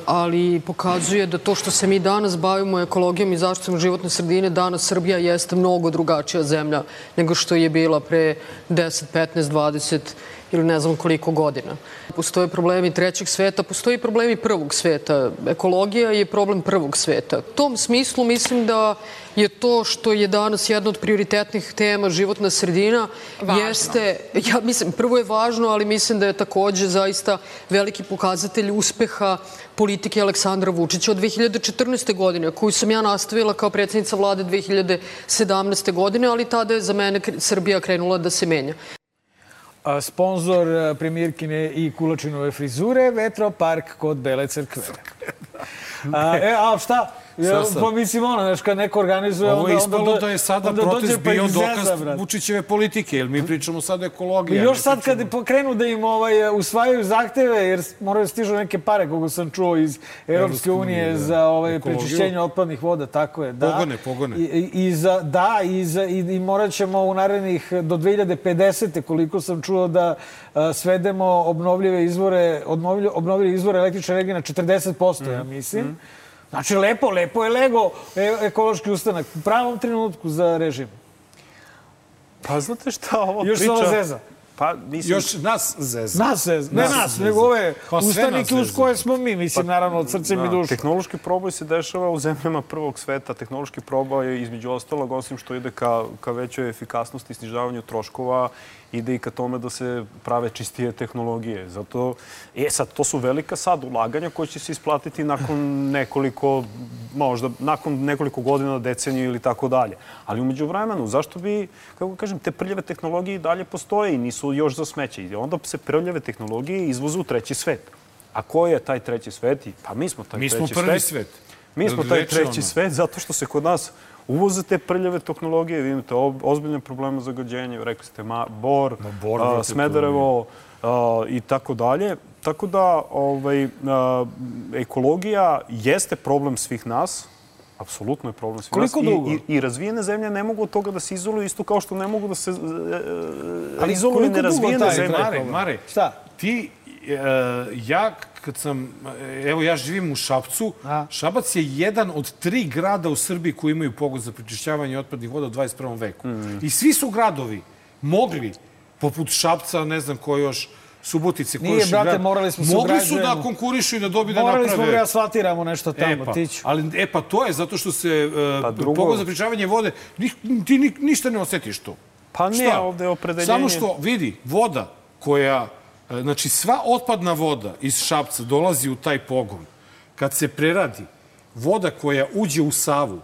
ali pokazuje da to što se mi danas bavimo ekologijom i zaštitom životne sredine, danas Srbija jeste mnogo drugačija zemlja nego što je bila pre 10, 15, 20 ili ne znam koliko godina. Postoje problemi trećeg sveta, postoji problemi prvog sveta. Ekologija je problem prvog sveta. U tom smislu mislim da je to što je danas jedna od prioritetnih tema životna sredina jeste, ja mislim, prvo je važno, ali mislim da je takođe zaista veliki pokazatelj uspeha politike Aleksandra Vučića od 2014. godine, koju sam ja nastavila kao predsjednica vlade 2017. godine, ali tada je za mene Srbija krenula da se menja. Sponzor premijerkine i Kulačinove frizure, Vetropark kod Bele Crkve. A šta? Pa mislim, znaš, kad neko organizuje... Ovo je ispalo da je sada protest bio dokaz Vučićeve politike, jer mi pričamo sad o ekologiji. Još sad kad krenu da im usvajaju zahteve, jer moraju da stižu neke pare, koliko sam čuo iz Evropske unije za prečišćenje otpadnih voda, tako je. Pogone. I morat ćemo u narednih do 2050. koliko sam čuo da svedemo obnovljive izvore električne energije na 40%, ja mislim. Znači, lepo je lego ekološki ustanak u pravom trenutku za režim. Pa znate šta ovo priča... Još se ovo zeza. Još nas zeza. Nas zeza. Ne nas, nego ove ustanike uz koje smo mi, mislim, naravno, od srcem i dušom. Tehnološki proboj se dešava u zemljama prvog sveta. Tehnološki proboj je između ostalog, osim što ide ka većoj efikasnosti i snižavanju troškova, ide i ka tome da se prave čistije tehnologije. Zato, sad, to su velika sad ulaganja koje će se isplatiti nakon nekoliko godina, deceniju ili tako dalje. Ali umeđu vremenu, zašto bi, kako kažem, te prljave tehnologije i dalje postoje i nisu još za smeće. I onda se prljave tehnologije izvozu u treći svet. A ko je taj treći svet? Pa mi smo taj treći svet. Mi smo prvi svet. Mi smo taj treći svet zato što se kod nas uvoze te prljave tehnologije, vi imate ozbiljne probleme zagađenja, rekli ste Bor, Smederevo i tako dalje. Tako da ekologija jeste problem svih nas, apsolutno je problem svih nas. Koliko dugo? I razvijene zemlje ne mogu od toga da se izoluju isto kao što ne mogu da se izoluju nerazvijene zemlje. Mare, ja kad sam, evo ja živim u Šapcu, Šabac je jedan od 3 grada u Srbiji koji imaju pogon za prečišćavanje otpadnih voda u 21. veku. I svi su gradovi mogli, poput Šapca, ne znam ko još, Subotice, nije, brate, morali smo se mogli su da konkurišu i da dobiju da naprave. Morali smo da asfaltiramo nešto tamo, tiću. Ali, to je zato što se pogon za prečišćavanje vode, ti ništa ne osjetiš to. Pa ne, ovde je opredeljenje. Samo što, vidi, voda koja... Znači, sva otpadna voda iz Šapca dolazi u taj pogon. Kad se preradi, voda koja uđe u Savu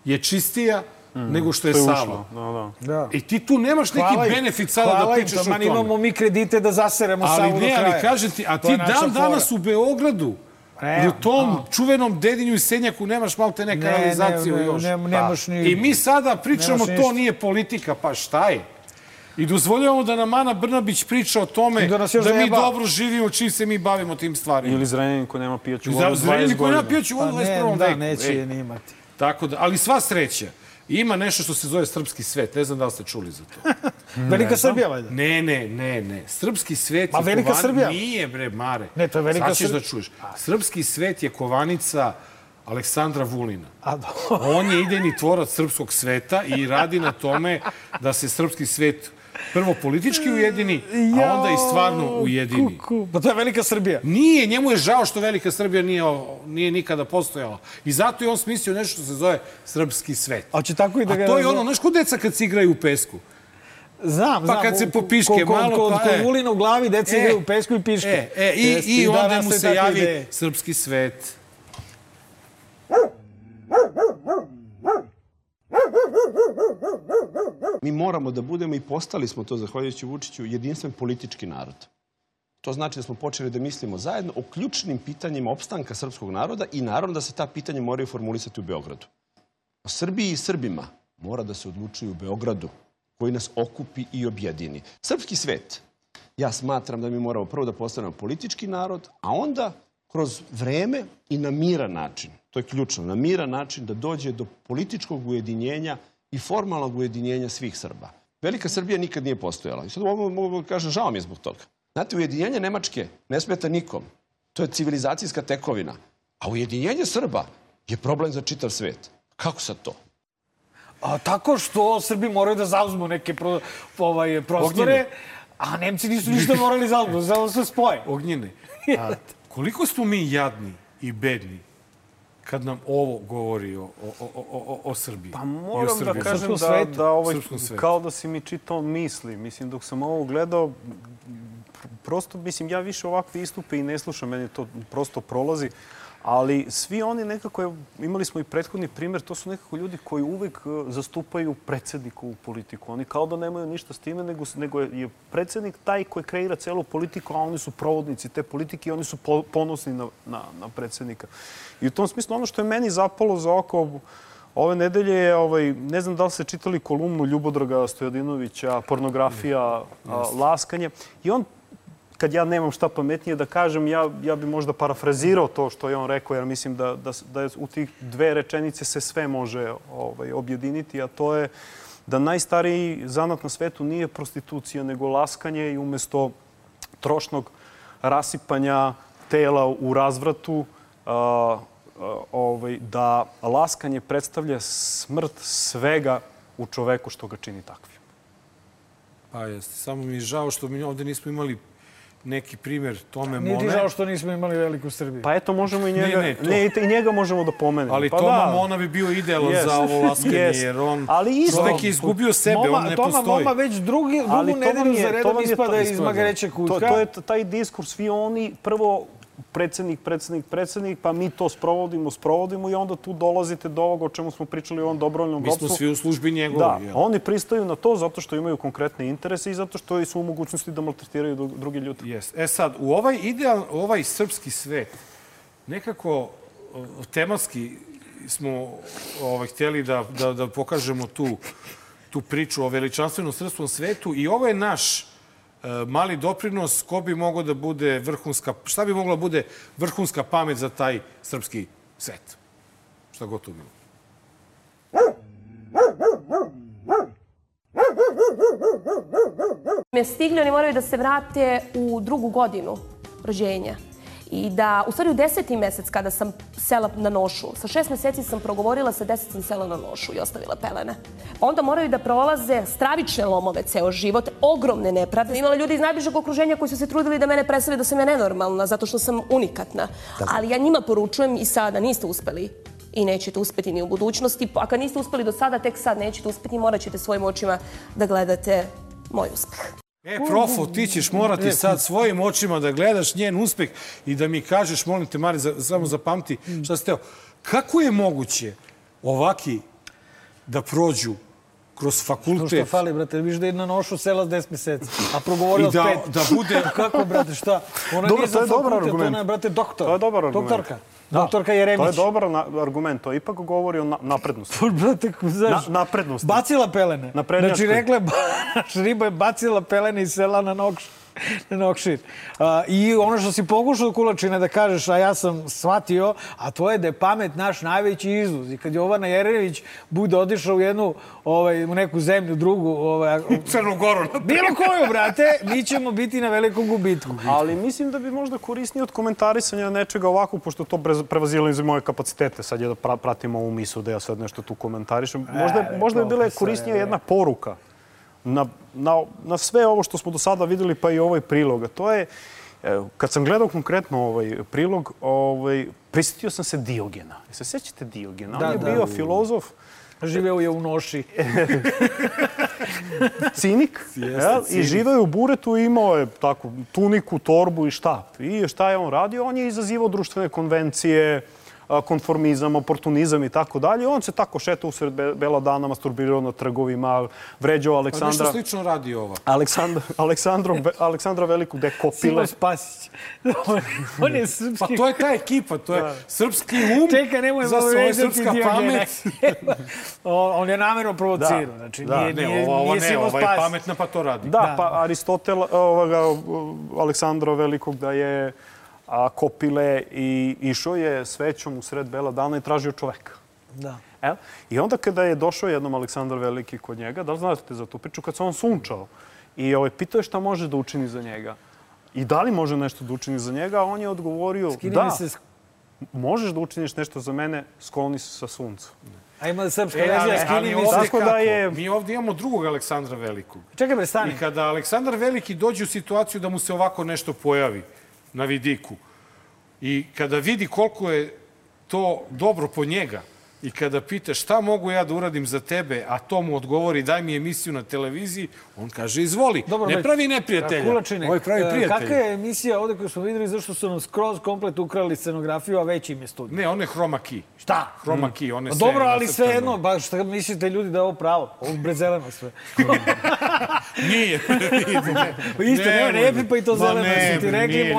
je čistija nego što je Sava. I ti tu nemaš neki benefit sada da pričaš o tome. Imamo mi kredite da zaseremo Savu do kraja. Ali kažem ti, a ti danas u Beogradu, u tom čuvenom Dedinju i Senjaku nemaš malo te neka realizaciju još. I mi sada pričamo, to nije politika, pa šta je? I dozvoljavamo da nam Ana Brnabić priča o tome da mi dobro živimo čim se mi bavimo tim stvarima. Ili Zrenjanin koji nema pijaću vodu 20 godina. Zrenjanin koji nema pijaću vodu 21. veku. Da, neće je ni imati. Tako da, ali sva sreća. Ima nešto što se zove srpski svet. Ne znam da li ste čuli za to. Velika Srbija, valjda? Ne. Srpski svet je Velika Srbija? Nije, bre, Mare. Ne, to je Velika Srbija. Sad ćeš da čuješ. Srpski svet je kovanica Aleksandra Vulina. On je idejni tvorac srpskog sveta i radi na tome da se srpski svet prvo politički ujedini, a onda i stvarno ujedini. Pa to je Velika Srbija. Nije, njemu je žao što Velika Srbija nije nikada postojala. I zato je on smislio nešto što se zove srpski svet. A to je ono, znaš ko deca kad se igraju u pesku? Znam. Pa kad se popiške malo, pa Kod Vulina u glavi deca igraju u pesku i piške. I onda mu se javi srpski svet. Mi moramo da budemo, i postali smo to, zahvaljujući Vučiću, jedinstven politički narod. To znači da smo počeli da mislimo zajedno o ključnim pitanjima opstanka srpskog naroda i naravno da se ta pitanja moraju formulisati u Beogradu. O Srbiji i Srbima mora da se odlučuju u Beogradu, koji nas okupi i objedini. Srpski svet, ja smatram da mi moramo prvo da postanemo politički narod, a onda kroz vreme i na miran način, to je ključno, na miran način da dođe do političkog ujedinjenja i formalnog ujedinjenja svih Srba. Velika Srbija nikad nije postojala. I sad mogu da kažem, žao mi je zbog toga. Znate, ujedinjenje Nemačke ne smeta nikom. To je civilizacijska tekovina. A ujedinjenje Srba je problem za čitav svet. Kako sad to? Tako što Srbi moraju da zauzmu neke prostore, a Nemci nisu ništa morali zauzmu, zato se spoje. Ognjene, koliko smo mi jadni i bedni kad nam ovo govori o Srbiji? Pa moram da kažem kao da si mi čitao misli. Mislim, dok sam ovo gledao, prosto, mislim, ja više ovakve istupe i ne slušam, meni to prosto prolazi. Ali svi oni nekako, imali smo i prethodni primjer, to su nekako ljudi koji uvek zastupaju predsjednikovu politiku. Oni kao da nemaju ništa s time, nego je predsjednik taj koji kreira celu politiku, a oni su provodnici te politike i oni su ponosni na predsjednika. I u tom smislu ono što je meni zapalo za oko ove nedelje je, ne znam da li ste čitali kolumnu Ljubodraga Stojadinovića, Pornografija, laskanje. I on, kad ja nemam šta pametnije da kažem, ja bi možda parafrazirao to što je on rekao, jer mislim da u tih dve rečenice se sve može objediniti, a to je da najstariji zanat na svetu nije prostitucija, nego laskanje i umjesto trošnog rasipanja tela u razvratu, da laskanje predstavlja smrt svega u čoveku što ga čini takvim. Pa jeste. Samo mi je žao što mi ovdje nismo imali neki primjer Tome Mone. Nije ti žao što nismo imali veliku Srbiju. Pa eto, možemo i njega, i njega možemo da pomenemo. Ali Toma Mona bi bio idealan za ovo laskanje, jer on čovjek je izgubio sebe, on ne postoji. Toma Moma već drugu nedelju za redom ispada iz Magareća kutka. To je taj diskurs, svi oni prvo predsjednik, pa mi to sprovodimo i onda tu dolazite do ovoga o čemu smo pričali u ovom dobrovoljnom ropstvu. Mi smo svi u službi njegovi. Da, oni pristaju na to zato što imaju konkretne interese i zato što su u mogućnosti da maltretiraju drugi ljudi. Sad, u ovaj srpski svet, nekako tematski smo htjeli da pokažemo tu priču o veličanstvenom srpskom svetu i ovo je naš mali doprinos, ko bi mogao da bude vrhunska, šta bi mogla da bude vrhunska pamet za taj srpski svet? Šta god to bilo? Stigli, oni moraju da se vrate u 2. godinu rođenja. I da, u stvari u 10. mesec kada sam sela na nošu, sa 6 meseci sam progovorila, sa 10 sam sela na nošu i ostavila pelene. Onda moraju da prolaze stravične lomove ceo život, ogromne nepravde. Imala ljudi iz najbližeg okruženja koji su se trudili da mene predstave da sam ja nenormalna, zato što sam unikatna. Ali ja njima poručujem i sada, niste uspeli i nećete uspeti ni u budućnosti. A kad niste uspeli do sada, tek sad nećete uspeti i morat ćete svojim očima da gledate moj uspeh. Profo, ti ćeš morati sad svojim očima da gledaš njen uspeh i da mi kažeš, molim te, Mari, samo zapamti šta ste teo. Kako je moguće ovaki da prođu kroz fakultet? Što fali, brate, viš da je na nošu sela s 10 meseci, a progovorila s 5. Da bude... Kako, brate, šta? Ona nije za fakultet, ona je, brate, doktor. To je dobar argument. Doktorka. Doktorka Jeremić. To je dobar argument, to ipak govori o naprednosti. Brate, znaš, naprednosti. Bacila pelene. Znači, rekla, riba je bacila pelene iz sela na Nokšir. I ono što si pokušao, Kulačine, da kažeš, a ja sam shvatio, a to je da je pamet naš najveći izvoz. I kad Jovana Jeremić bude odišao u neku zemlju, drugu... U Crnu Goru. Bilo koju, brate, mi ćemo biti na velikom gubitku. Ali mislim da bi možda korisnije od komentarisanja nečega ovako, pošto to prevazilo iz moje kapacitete. Sad je da pratimo ovu misu, da ja sad nešto tu komentarišem. Možda bi bila korisnija jedna poruka na sve ovo što smo do sada videli, pa i ovaj prilog. To je, kad sam gledao konkretno ovaj prilog, prisjetio sam se Diogena. Se sjećate Diogena? On je bio filozof. Živeo je u noši. Cinik. I živeo je u buretu i imao je tako tuniku, torbu i štap. I šta je on radio? On je izazivao društvene konvencije, konformizam, oportunizam i tako dalje. On se tako šetao usred bela dana, masturbirao na trgovima, vređao Aleksandra... Pa nešto slično radi ova. Aleksandra Veliku, gde kopile. Silo Spasić. On je srpski... Pa to je ta ekipa, to je srpski Čekaj, nemoj za svoje srpska pamet. On je namjerno provocirao. Znači, nije Silo Spasić. Ova je pametna, pa to radi. Da, pa Aristotel, Aleksandra Velikog, da je kopile i išao je svećom u sred bela dana i tražio čoveka. Da. I onda kada je došao jednom Aleksandar Veliki kod njega, da li znate za tu priču, kad se on sunčao i pitao je šta može da učini za njega, i da li može nešto da učini za njega, a on je odgovorio da, možeš da učiniš nešto za mene, skloni se sa sunca. A ima srpska verzija, skini mi se. Tako da je... Mi ovdje imamo drugog Aleksandra Velikog. Čekaj bre, stani. I kada Aleksandar Veliki dođe u situaciju da mu se ovako nešto pojavi na vidiku i kada vidi koliko je to dobro po njega i kada pita šta mogu ja da uradim za tebe, a to mu odgovori daj mi emisiju na televiziji, on kaže izvoli. Ne pravi neprijatelja. Kulačine, ovo pravi prijatelja. kakva je emisija ovde koju smo videli zašto su nam skroz komplet ukrali scenografiju, a već im je studij? Ne, on je Chroma Key. Šta? Chroma Key, on je sve... Dobro, ali sve jedno, baš šta mislite ljudi da je ovo pravo? Ovo bre zeleno sve. Nije. Isto, ne pa i to zeleno. Su ti rekli,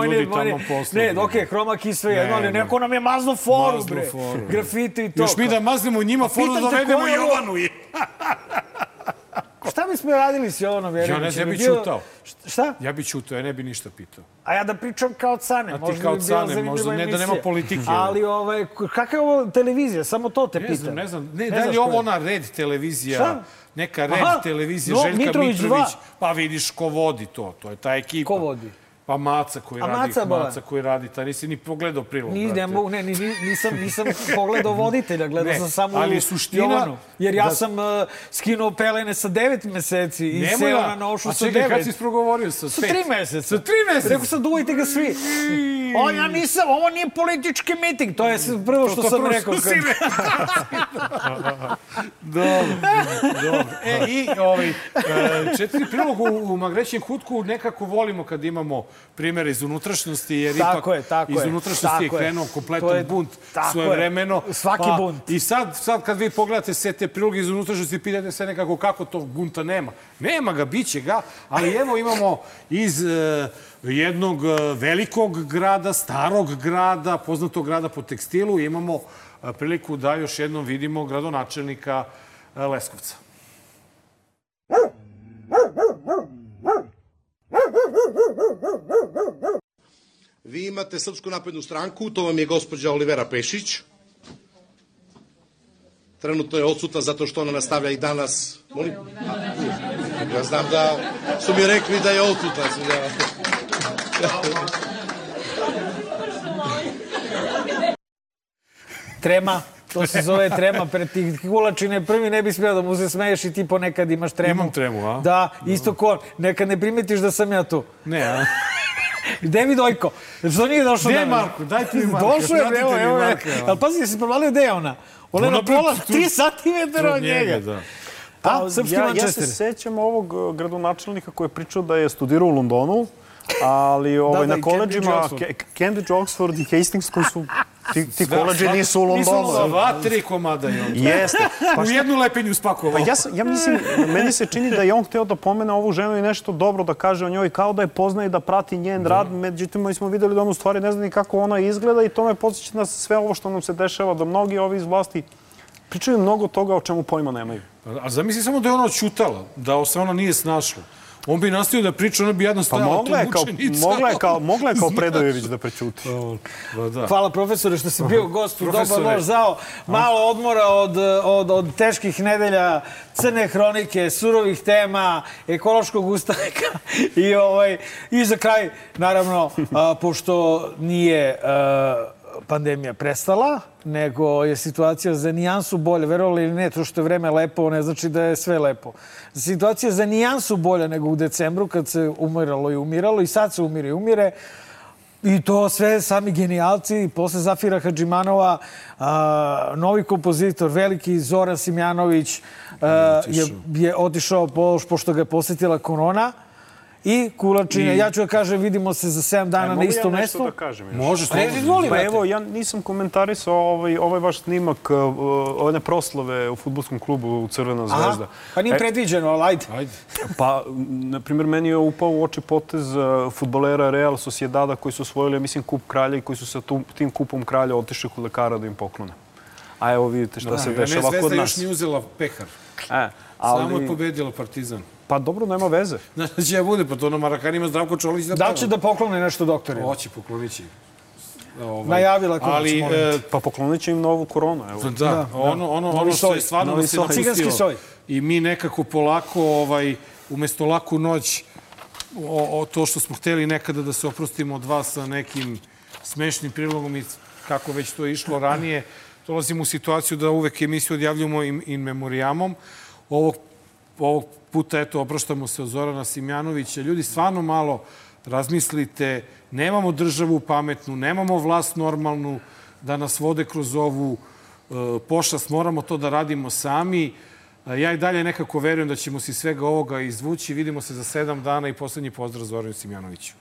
ne, okej, Chroma Key sve jedno, ali neko nam je mazno foru, bre. Grafite i to. Još mi da maznemo njima foru da dovedemo Jovanu. Šta bismo radili s Jovanom Jeremićem? Ja ne bi čutao. Šta? Ja bi čutao, ja ne bi ništa pitao. A ja da pričam kao Cane. A ti kao Cane, možda ne da nema politike. Ali kakva je ovo televizija? Samo to te pitam. Ne znam. Ne, da li je ovo ona Red televizija? Neka Red televizija, Željka Mitrović. Pa vidiš ko vodi to. To je ta ekipa. Ko vodi? Pa Maca koji radi, ta nisi ni pogledao prilog. Nisam pogledao voditelja, gledao sam samo Jovanu. Jer ja sam skinuo pelene sa 9 meseci i seo na nošu sa 9. A čekaj, kad si isprogovorio sa 5? Sa 3 meseca. Sa 3 meseca? Rekao sam, duvajte ga svi. Ja nisam, ovo nije politički miting. To je prvo što sam rekao. Dobro. I 4 prilogu u Magrećem kutku nekako volimo kad imamo primjere iz unutrašnjosti, jer ipak iz unutrašnjosti je krenuo kompletan bunt svojevremeno. Svaki bunt. I sad kad vi pogledate sve te priloge iz unutrašnjosti, pitate se nekako kako tog bunta nema. Nema ga, bit će ga, ali evo imamo iz jednog velikog grada, starog grada, poznatog grada po tekstilu, imamo priliku da još jednom vidimo gradonačelnika Leskovca. Vi imate Srpsku naprednu stranku, to vam je gospođa Olivera Pešić. Trenutno je odsutna zato što ona nastavlja i danas... Ja znam da su mi rekli da je odsutna. Trema. To se zove trema pred tih kulačine. Prvi ne bi smio da mu se smeješ i ti ponekad imaš tremu. Imam tremu, a? Da, isto ko. Nekad ne primetiš da sam ja tu. Ne, a? Gde mi Dojko? Što nije došao? Gde je Marko? Dajte mi Marko. Došao je, evo. Ali pazi, jesi provalio gde je ona? Ona je na pola 3 centimetra od njega. Ja se sećam ovog gradonačelnika koji je pričao da je studirao u Londonu, ali na koleđima Cambridge, Oxford i Hastings koji su ti koleđi nisu u Londonu. Sva 3 komada je on. Jeste. U jednu lepenju spakovao. Ja mislim, meni se čini da je on hteo da pomene ovu ženu i nešto dobro da kaže o njoj, kao da je poznaje i da prati njen rad. Međutim, mi smo videli da on u stvari ne zna ni kako ona izgleda i to me podsjeća na sve ovo što nam se dešava, da mnogi ovi iz vlasti pričaju mnogo toga o čemu pojma nemaju. A zamisli samo da je ona odćutala, da se ona nije snašla. On bi nastavio da priča, ona bi jedno stajala tu mučenica. Mogla je kao Predojević da prećuti. Hvala profesore što si bio gost u Dobar loš zao. Malo odmora od teških nedelja, crne hronike, surovih tema, ekološkog ustanka. I za kraj, naravno, pošto nije pandemija prestala, nego je situacija za nijansu bolja. Verovali ili ne, to što je vreme lepo, ne znači da je sve lepo. Situacija za nijansu bolja nego u decembru, kad se umiralo i umiralo, i sad se umire i umire. I to sve sami genijalci. Posle Zafira Hadžimanova, novi kompozitor, veliki Zoran Simjanović, je otišao pošto ga je posjetila korona. I kulačine, ja ću da kažem, vidimo se za 7 dana na istom mestu. Mogu ja nešto da kažem? Može, pa evo, ja nisam komentarisao ovaj vaš snimak, one proslave u fudbalskom klubu Crvena zvezda. Pa nije predviđeno, ali ajde. Pa, na primjer, meni je upao u oči potez fudbalera Real Sociedada koji su osvojili, mislim, kup kralja i koji su sa tim kupom kralja otišli kod lekara da im poklone. A evo vidite šta se dešava kod nas. Zvezda još nije uzela pehar. Samo je pobedila Partizan. Pa dobro, nema veze. Znači će ja bude, pa to na Marakanima Zdravko Čolić da peva. Da će da poklone nešto doktorima? Hoće, poklonit će. Najavila konac, molim. Pa poklonit će im novu koronu. Da, ono što je stvarno se napustilo. I mi nekako polako, umjesto laku noć, to što smo hteli nekada da se oprostimo od vas sa nekim smešnim prilogom i kako već to je išlo ranije, dolazimo u situaciju da uvek emisiju odjavljujemo in memoriamom. Ovog puta, eto, oproštamo se od Zorana Simjanovića. Ljudi, stvarno malo razmislite. Nemamo državu pametnu, nemamo vlast normalnu da nas vode kroz ovu pošast. Moramo to da radimo sami. Ja i dalje nekako verujem da ćemo se svega ovoga izvući. Vidimo se za 7 dana i poslednji pozdrav Zoranu Simjanoviću.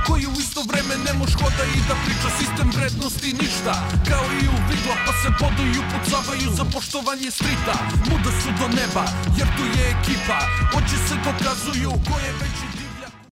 Koji u isto vreme ne moš hoda i da priča sistem vrednosti ništa. Kao i u vigla pa se boduju, pucavaju za poštovanje strita. Muda su do neba jer tu je ekipa, oči se dokazuju ko je veći dio.